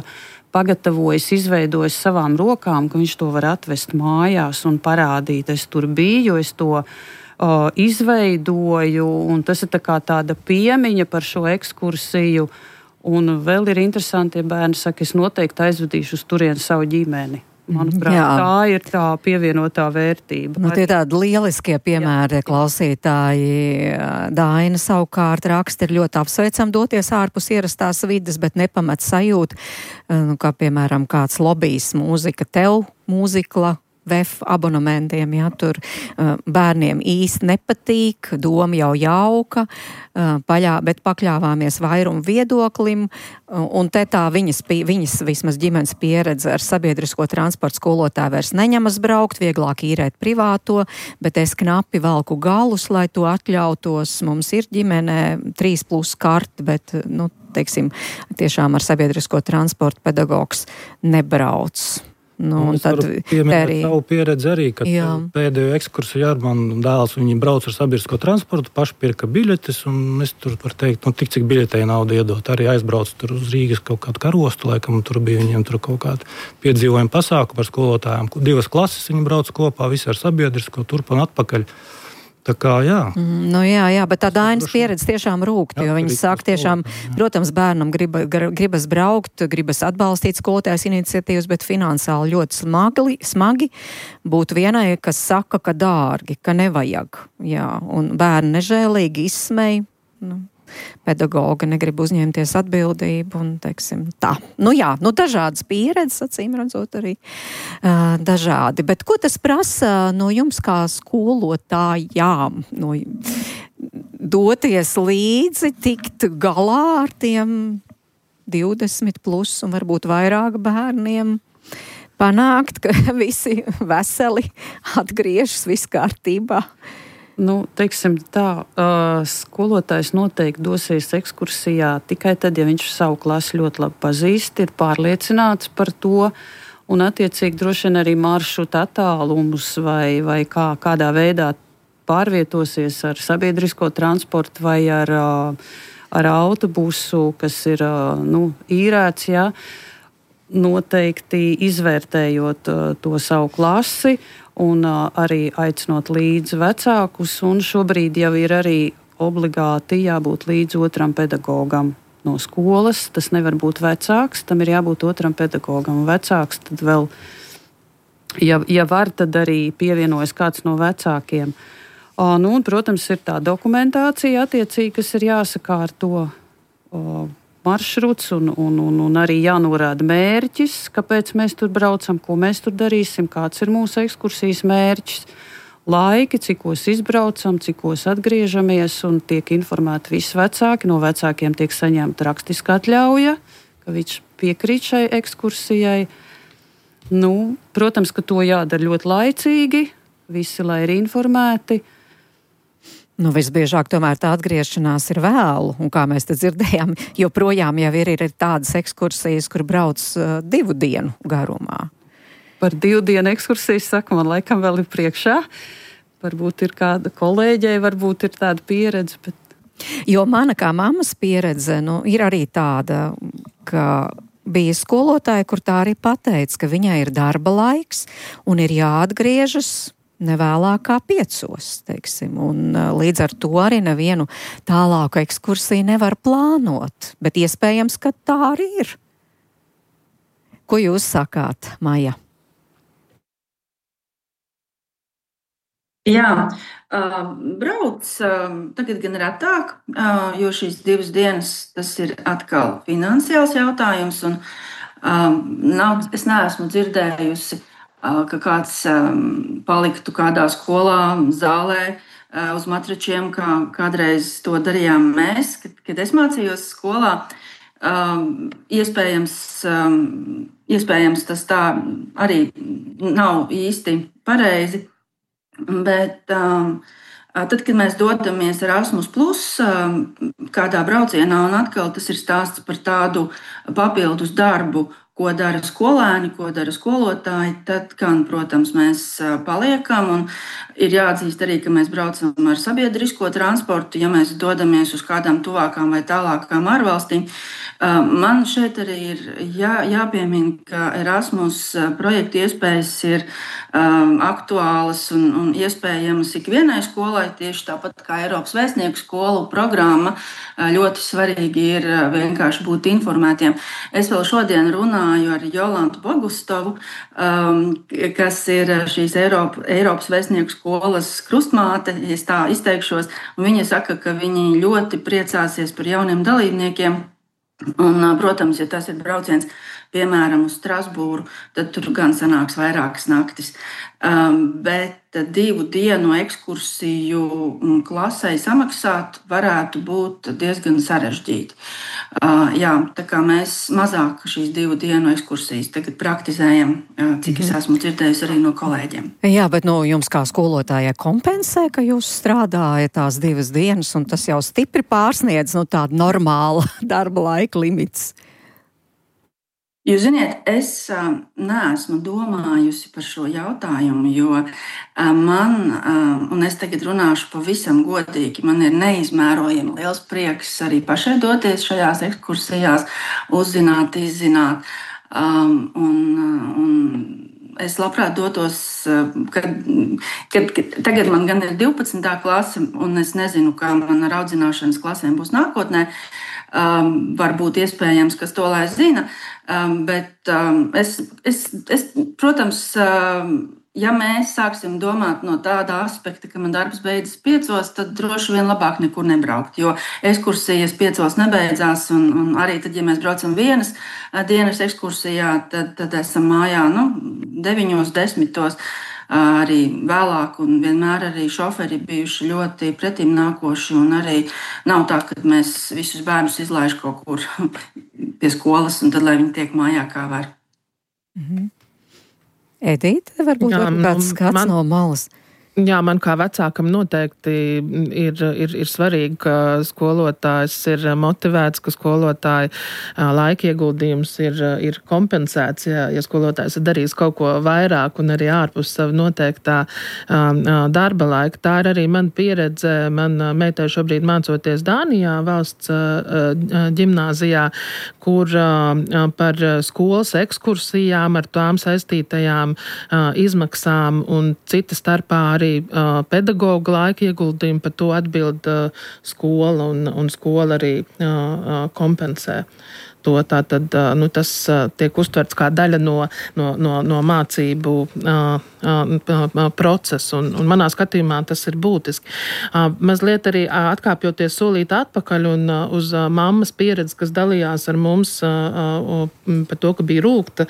pagatavojis, izveidojis savām rokām, ka viņš to var atvest mājās un parādīt. Es tur biju, es to uh, izveidoju, un tas ir tā kā tāda piemiņa par šo ekskursiju. Un vēl ir interesanti, ja bērni saka, es noteikti aizvedīšu uz turieni savu ģimeni. Manuprāt, jā. Tā ir tā pievienotā vērtība. Nu, tie tādi lieliskie piemēri, jā. Klausītāji. Daina savukārt raksta, ir ļoti apsveicam doties ārpus ierastās vides, bet nepamet sajūt, nu, kā piemēram kāds lobijs mūzika tev, mūzikla, V E F abonementiem, jā, tur uh, bērniem īsti nepatīk, doma jau jauka, uh, paļā, bet pakļāvāmies vairumu viedoklim, uh, un te tā viņas, viņas vismaz ģimenes pieredze ar sabiedrisko transportu skolotāju vairs neņemas braukt, vieglāk īrēt privāto, bet es knapi valku galus, lai to atļautos. Mums ir ģimenē trīs plus karti, bet, nu, teiksim, tiešām ar sabiedrisko transportu pedagogs nebrauc. Nu, es varu pieminēt arī savu pieredzi arī, kad jā. Pēdējo ekskursiju ar manu dēls, viņi brauc ar sabiedrisko transportu, paši pirka biļetes, un es tur var teikt, nu, tik cik biļetei naudu iedot. Arī aizbrauc tur uz Rīgas kaut kādu karostu, laikam tur bija viņiem tur kaut kādu piedzīvojumu pasākumu par skolotājiem. Divas klases viņi brauc kopā, visi ar sabiedrisko, turp un atpakaļ. Tā kā, jā. Mm, nu jā, jā, bet tā Dainas pieredze tiešām rūkt, jo viņi saka tiešām, protams, bērnam grib, gribas braukt, gribas atbalstīt skolotājas iniciatīvas, bet finansiāli ļoti smagi, smagi būtu vienai, kas saka, ka dārgi, ka nevajag, jā, un bērni nežēlīgi izsmej, nu, pedagoga negrib uzņemties atbildību un, teiksim, tā. Nu jā, nu dažādas pieredzes, acīm redzot arī uh, dažādi. Bet ko tas prasa no jums kā skolotājām? No, doties līdzi, tikt galā ar tiem divdesmit plus un varbūt vairāk bērniem, panākt, ka visi veseli atgriežas viss kārtībā? Nu, teiksim tā, uh, skolotājs noteikti dosies ekskursijā tikai tad, ja viņš savu klasi ļoti labi pazīst, ir pārliecināts par to, un attiecīgi droši vien arī maršruta attālumus vai, vai kā, kādā veidā pārvietosies ar sabiedrisko transportu vai ar, uh, ar autobusu, kas ir uh, nu, īrēts, jā, noteikti izvērtējot uh, to savu klasi, un uh, arī aicinot līdzi vecākus, un šobrīd jau ir arī obligāti jābūt līdz otram pedagogam no skolas. Tas nevar būt vecāks, tam ir jābūt otram pedagogam. Vecāks tad vēl, ja, ja var, tad arī pievienojas kāds no vecākiem. Uh, nu, un, protams, ir tā dokumentācija attiecīgi, kas ir jāsakārto. Uh, maršruts un, un, un, un arī jānorāda mērķis, kāpēc mēs tur braucam, ko mēs tur darīsim, kāds ir mūsu ekskursijas mērķis, laiki, cikos izbraucam, cikos atgriežamies un tiek informēti visi vecāki. No vecākiem tiek saņemta rakstiska atļauja, ka viņš piekrīt šai ekskursijai. Nu, protams, ka to jādara ļoti laicīgi, visi, lai ir informēti. Nu, visbiežāk tomēr tā atgriešanās ir vēlu, un kā mēs te dzirdējām, joprojām jau ir, ir tādas ekskursijas, kur brauc uh, divu dienu garumā. Par divu dienu ekskursijas saka, man laikam vēl ir priekšā. Varbūt ir kāda kolēģei, varbūt ir tāda pieredze, bet... Jo mana kā mammas pieredze, nu, ir arī tāda, ka bija skolotāja, kur tā arī pateica, ka viņai ir darba laiks un ir jāatgriežas nevēlāk kā piecos, teiksim, un līdz ar to arī nevienu tālāku ekskursiju nevar plānot, bet iespējams, ka tā arī ir. Ko jūs sakāt, Maija? Jā, uh, brauc uh, tagad gan retāk, uh, jo šīs divas dienas tas ir atkal finansiāls jautājums, un uh, nav, es neesmu dzirdējusi, uh, ka kāds um, paliktu kādā skolā, zālē uh, uz matračiem, kā kādreiz to darījām mēs, kad, kad es mācījos skolā. Um, iespējams, um, iespējams, tas tā arī nav īsti pareizi. Bet um, tad, kad mēs dodamies Erasmus plus um, kādā braucienā, un atkal tas ir stāsts par tādu papildus darbu, ko dara skolēni, ko dara skolotāji, tad, gan, protams, mēs paliekam. Un ir jāatzīst arī, ka mēs braucam ar sabiedrisko transportu, ja mēs dodamies uz kādām tuvākām vai tālākām ārvalstīm. Man šeit arī ir jā, jāpiemina, ka Erasmus projekta iespējas ir um, aktuālas un, un iespējamas ikvienai skolai, tieši tāpat kā Eiropas vēstnieku skolu programma. Ļoti svarīgi ir vienkārši būt informētiem. Es vēl šodien runāju ar Jolantu Bogustovu, um, kas ir šīs Eiropa, Eiropas vēstnieku skolas krustmāte, ja es tā izteikšos, un viņa saka, ka viņi ļoti priecāsies par jauniem dalībniekiem. Un, protams, ja tas ir brauciens, piemēram, uz Strasbūru, tad tur gan sanāks vairākas naktis. Um, bet divu dienu ekskursiju klasei samaksāt varētu būt diezgan sarežģīti. Uh, jā, tā kā mēs mazāk šīs divu dienu ekskursijas tagad praktizējam, uh, cik es esmu dzirdējusi arī no kolēģiem. Jā, bet nu, jums kā skolotājai kompensē, ka jūs strādājat tās divas dienas, un tas jau stipri pārsniedz nu, tādu normālu darba laika limits. Jūs ziniet, es uh, neesmu domājusi par šo jautājumu, jo uh, man, uh, un es tagad runāšu pavisam godīgi, man ir neizmērojami liels prieks arī pašai doties šajās ekskursijās, uzzināt, izzināt. Um, un, un es labprāt dotos, kad, kad, kad tagad man gan ir divpadsmitā klase, un es nezinu, kā man ar audzināšanas klasēm būs nākotnē. Um, varbūt iespējams, kas to lai zina, um, bet um, es, es, es, protams, um, ja mēs sāksim domāt no tāda aspekta, ka man darbs beidzas piecos, tad droši vien labāk nekur nebraukt, jo ekskursijas piecos nebeidzās, un, un arī tad, ja mēs braucam vienas dienas ekskursijā, tad, tad esam mājā, nu, deviņos, desmitos. Arī vēlāk, un vienmēr arī šoferi bijuši ļoti pretim nākoši, un arī nav tā, ka mēs visus bērnus izlaiž kaut kur pie skolas, un tad, lai viņi tiek mājā, kā var. Mm-hmm. Edīte, varbūt Jā, kāds skats man... no malas? Jā, man kā vecākam noteikti ir, ir, ir svarīgi, ka skolotājs ir motivēts, ka skolotāja laika ieguldījums ir, ir kompensēts, ja, ja skolotājs ir darījis kaut ko vairāk un arī ārpus savu noteiktā darba laika. Tā ir arī man pieredze. Man meitai šobrīd mācoties Dānijā valsts ģimnāzijā, kur par skolas ekskursijām ar tām saistītajām izmaksām un cita starpā arī uh, pedagoga laika ieguldījumu, par to atbild uh, skola un, un skola arī uh, uh, kompensē. to. Tātad nu, tas tiek uztverts kā daļa no, no, no, no mācību procesa, un, un manā skatījumā tas ir būtiski. Mazliet arī atkāpjoties solīt atpakaļ un uz mammas pieredzi, kas dalījās ar mums par to, ka bija rūgta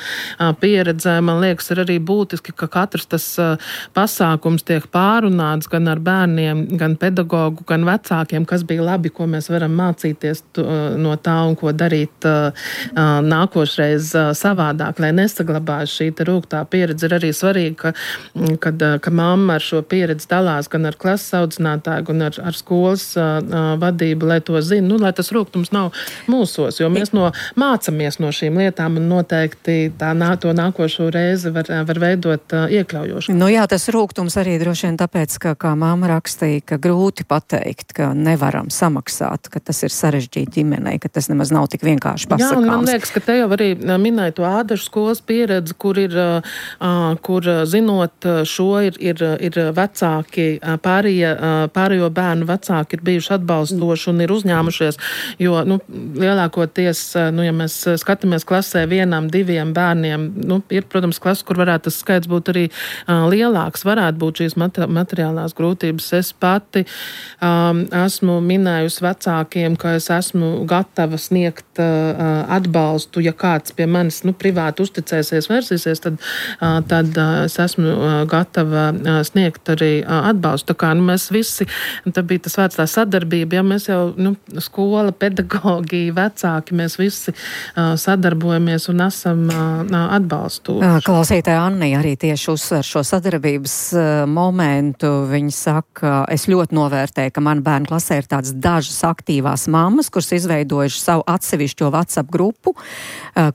pieredze, man liekas, ir arī būtiski, ka katrs tas pasākums tiek pārunāts gan ar bērniem, gan pedagogu, gan vecākiem, kas bija labi, ko mēs varam mācīties no tā un ko darīt nākošreiz savādāk, lai nesaglabājas šī te rūgtā pieredze. Ir arī svarīgi, ka, kad, ka mamma ar šo pieredzi dalās gan ar klases audzinātāju, gan ar, ar skolas vadību, lai to zina, nu, lai tas rūgtums nav mūsos, jo mēs no, mācamies no šīm lietām un noteikti tā nā, to nākošo reizi var, var veidot iekļaujoši. Nu jā, tas rūgtums arī droši vien tāpēc, ka, kā mamma rakstīja, ka grūti pateikt, ka nevaram samaksāt, ka tas ir sarežģīti ģimenei, ka tas nemaz nav tik vienkārši pasakāms. Jā, un man liekas, ka te jau arī minēja to Ādažu skolas pieredzi, kur ir, kur zinot šo, ir, ir, ir vecāki, pārējie, pārējo bērnu vecāki ir bijuši atbalstoši un ir uzņēmušies, jo, nu, lielākoties, nu, ja mēs skatāmies klasē vienam, diviem bērniem, nu, ir, protams, klasa, kur varētu tas skaits būt arī lielāks, varētu būt šīs materiālās grūtības. Es pati um, esmu minējusi vecākiem, ka es esmu gatava sniegt uh, atbalstu, ja kāds pie manis, nu, privāti uzticēsies, versīsies, tad, uh, tad uh, es esmu uh, gatava uh, sniegt arī uh, atbalstu. Tā kā, nu, mēs visi, tā bija tas vārds tā sadarbība, ja mēs jau, nu, skola, pedagogi, vecāki, mēs visi uh, sadarbojamies un esam uh, atbalstu. Klausītāja Anni arī tieši uzsver šo sadarbības uh, momentu. Viņa saka, es ļoti novērtēju, ka man bērnu klasē ir tādas dažas aktīvās mammas, kuras izveidojuši savu atsevišķo WhatsApp grupu,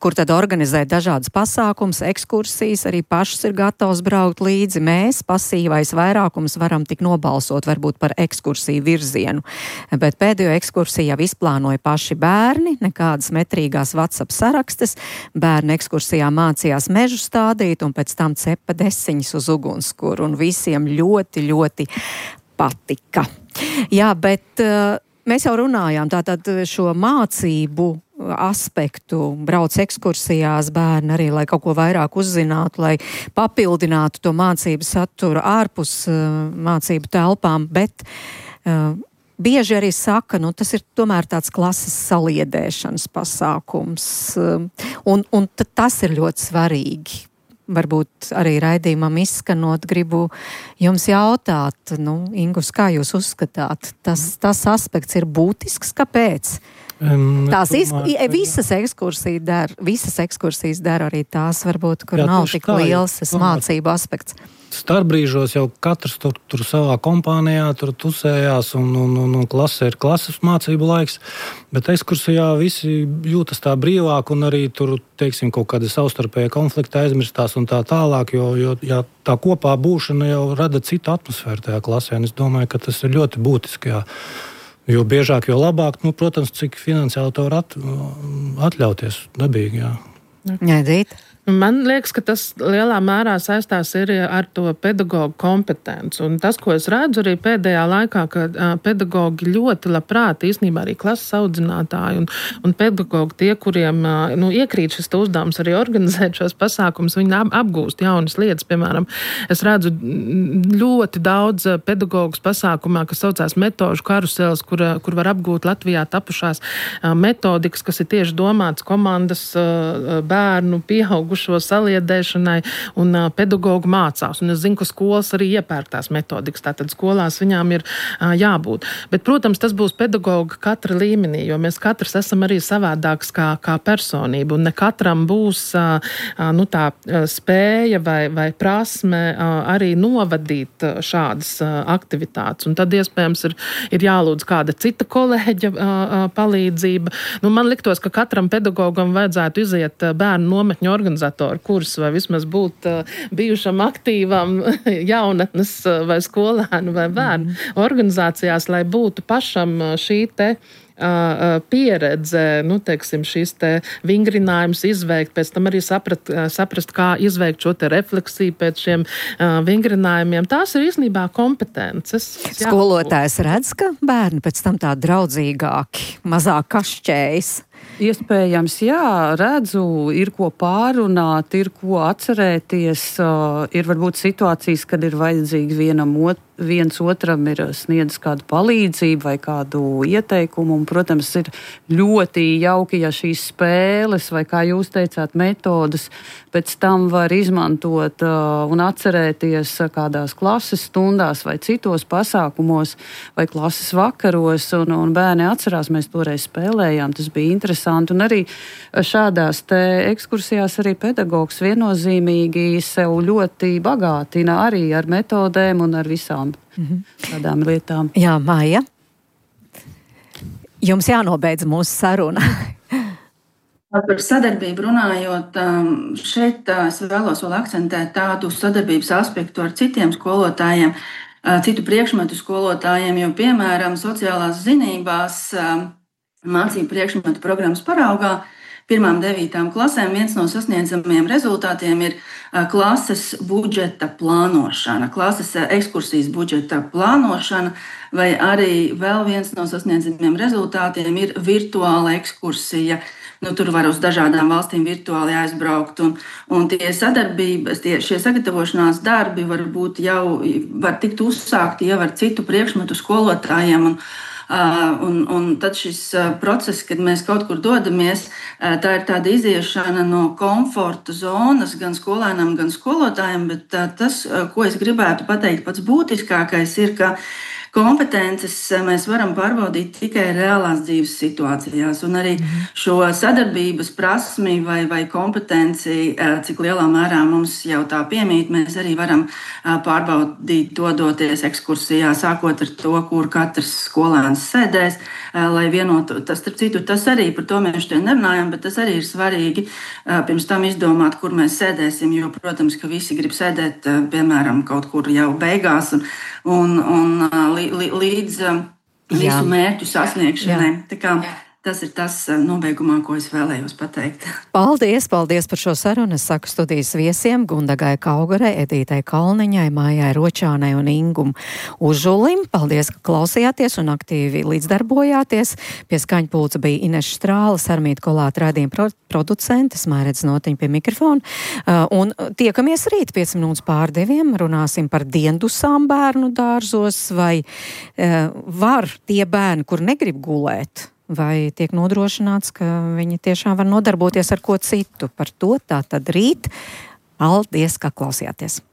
kur tad organizē dažādas pasākums, ekskursijas, arī pašas ir gatavs braukt līdzi. Mēs, pasīvais vairākums, varam tik nobalsot varbūt par ekskursiju virzienu. Bet pēdējo ekskursiju jau izplānoja paši bērni, nekādas metrīgās WhatsApp sarakstes. Bērni ekskursijā mācījās mežu stādīt un pēc tam cepa desiņas uz ugunskura, un visiem ļoti, ļoti patika. Jā, bet uh, mēs jau runājām tātad šo mācību aspektu, brauc ekskursijās bērni arī, lai kaut ko vairāk uzzinātu, lai papildinātu to mācību saturu ārpus uh, mācību telpām, bet uh, bieži arī saka, nu tas ir tomēr tāds klases saliedēšanas pasākums, uh, un, un tas ir ļoti svarīgi. Varbūt arī raidījumam izskanot, gribu jums jautāt, nu, Ingus, kā jūs uzskatāt, tas, tas aspekts ir būtisks, kāpēc? Um, tās domāju, iz, visas ekskursijas der, visas ekskursijas der arī tās, varbūt, kur jā, nav tik tā, liels tas mācību aspekts. Starpbrīžos jau katrs tur, tur savā kompānijā tur tusējās un, un, un, un klasē ir klases mācību laiks, bet ekskursijā visi jūtas tā brīvāk un arī tur, teiksim, kaut kādi savstarpēji konflikti aizmirstās un tā tālāk, jo, jo jā, tā kopā būšana jau rada citu atmosfēru tajā klasē, un es domāju, ka tas ir ļoti būtiski, jā. Jo biežāk, jo labāk, nu, protams, cik finansiāli to var at, atļauties dabīgi, jā. Jā, Dīt. Man liekas, ka tas lielā mērā saistās arī ar to pedagogu kompetenci. Un tas, ko es redzu arī pēdējā laikā, ka uh, pedagogi ļoti labprāt, īstenībā arī klases audzinātāji un, un pedagogi tie, kuriem uh, nu, iekrīt šis uzdevums arī organizēt šos pasākumus, viņi ap, apgūst jaunas lietas. Piemēram, es redzu ļoti daudz pedagogus pasākumā, kas saucās metožu karusels, kur, kur var apgūt Latvijā tapušās uh, metodikas, kas ir tieši domāts komandas uh, bērnu pieaugu šo saliedēšanai un uh, pedagogu mācās. Un es zinu, ka skolas arī iepērk tās metodikas, tātad skolās viņām ir uh, jābūt. Bet, protams, tas būs pedagoga katra līmenī, jo mēs katrs esam arī savādāks kā, kā personība, un ne katram būs uh, uh, nu, tā uh, spēja vai, vai prasme uh, arī novadīt uh, šādas uh, aktivitātes. Un tad, iespējams, ir, ir jālūdz kāda cita kolēģa uh, uh, palīdzība. Nu, man liktos, ka katram pedagogam vajadzētu iziet uh, bērnu nometņu organizāciju kursu vai vismaz būt uh, bijušam aktīvam jaunatnes uh, vai skolēnu vai bērnu mm. organizācijās, lai būtu pašam uh, šī te uh, pieredze, nu, teiksim, šīs te vingrinājumus izveikt, pēc tam arī saprat, saprast, kā izveikt šo te refleksiju pēc šiem uh, vingrinājumiem. Tās ir īstenībā kompetences. Skolotājs redz, ka bērni pēc tam tā draudzīgāki, mazāk kašķējas. Iespējams, jā, redzu, ir ko pārunāt, ir ko atcerēties, uh, ir varbūt situācijas, kad ir vajadzīgi vienam ot, viens otram ir sniedzis kādu palīdzību vai kādu ieteikumu, un, protams, ir ļoti jauki, ja šīs spēles vai, kā jūs teicāt, metodas pēc tam var izmantot uh, un atcerēties kādās klases stundās vai citos pasākumos vai klases vakaros, un, un bērni atcerās, mēs toreiz spēlējām, tas bija interesanti. Un arī šādās te ekskursijās arī pedagogs viennozīmīgi sev ļoti bagātina arī ar metodēm un ar visām mm-hmm. tādām lietām. Jā, Maija, jums jānobeidz mūsu saruna. Par sadarbību runājot, šeit es vēlos vēl akcentēt tādu sadarbības aspektu ar citiem skolotājiem, citu priekšmetu skolotājiem, jo, piemēram, sociālās zinībās mācību priekšmetu programmas paraugā pirmām devītām klasēm viens no sasniedzamiem rezultātiem ir klases budžeta plānošana, klases ekskursijas budžeta plānošana, vai arī vēl viens no sasniedzamiem rezultātiem ir virtuāla ekskursija. Nu, tur var uz dažādām valstīm virtuāli aizbraukt, un, un tie sadarbības, tie, šie sagatavošanās darbi varbūt jau var tikt uzsākti jau ar citu priekšmetu skolotājiem, un Uh, un, un tad šis uh, process, kad mēs kaut kur dodamies, uh, tā ir tāda iziešana no komforta zonas gan skolēnam, gan skolotājiem, bet uh, tas, uh, ko es gribētu pateikt, pats būtiskākais ir, ka kompetences mēs varam pārbaudīt tikai reālās dzīves situācijās, un arī šo sadarbības prasmi vai, vai kompetenci, cik lielā mērā mums jau tā piemīt, mēs arī varam pārbaudīt, dodoties ekskursijā, sākot ar to, kur katrs skolēns sēdēs, lai vienotu. Tas, starp citu, tas arī, par to mēs šodien nerunājam, bet tas arī ir svarīgi pirms tam izdomāt, kur mēs sēdēsim, jo, protams, ka visi grib sēdēt, piemēram, kaut kur jau beigās, un, un, un līdz visu mērķu sasniegšanai. Tā kā tas ir tas nobeigumā, ko es vēlējos pateikt. Paldies, paldies par šo sarunu. Es saku studijas viesiem Gundagai Kaugarai, Edītai Kalniņai, Mājai Ročānai un Ingum Užulim. Paldies, ka klausījāties un aktīvi līdzdarbojāties. Pie skaņpulca bija Ineša Strāle, Sarmīta Kolāta raidījuma producente, Mairedz Notiņa pie mikrofona. Un tiekamies rīt pieci minūtes pār diviem. Runāsim par diendusām bērnu dārzos, vai var tie bērni, kur negrib gulēt, vai tiek nodrošināts, ka viņi tiešām var nodarboties ar ko citu. Par to tā tad rīt. Paldies, ka klausījāties!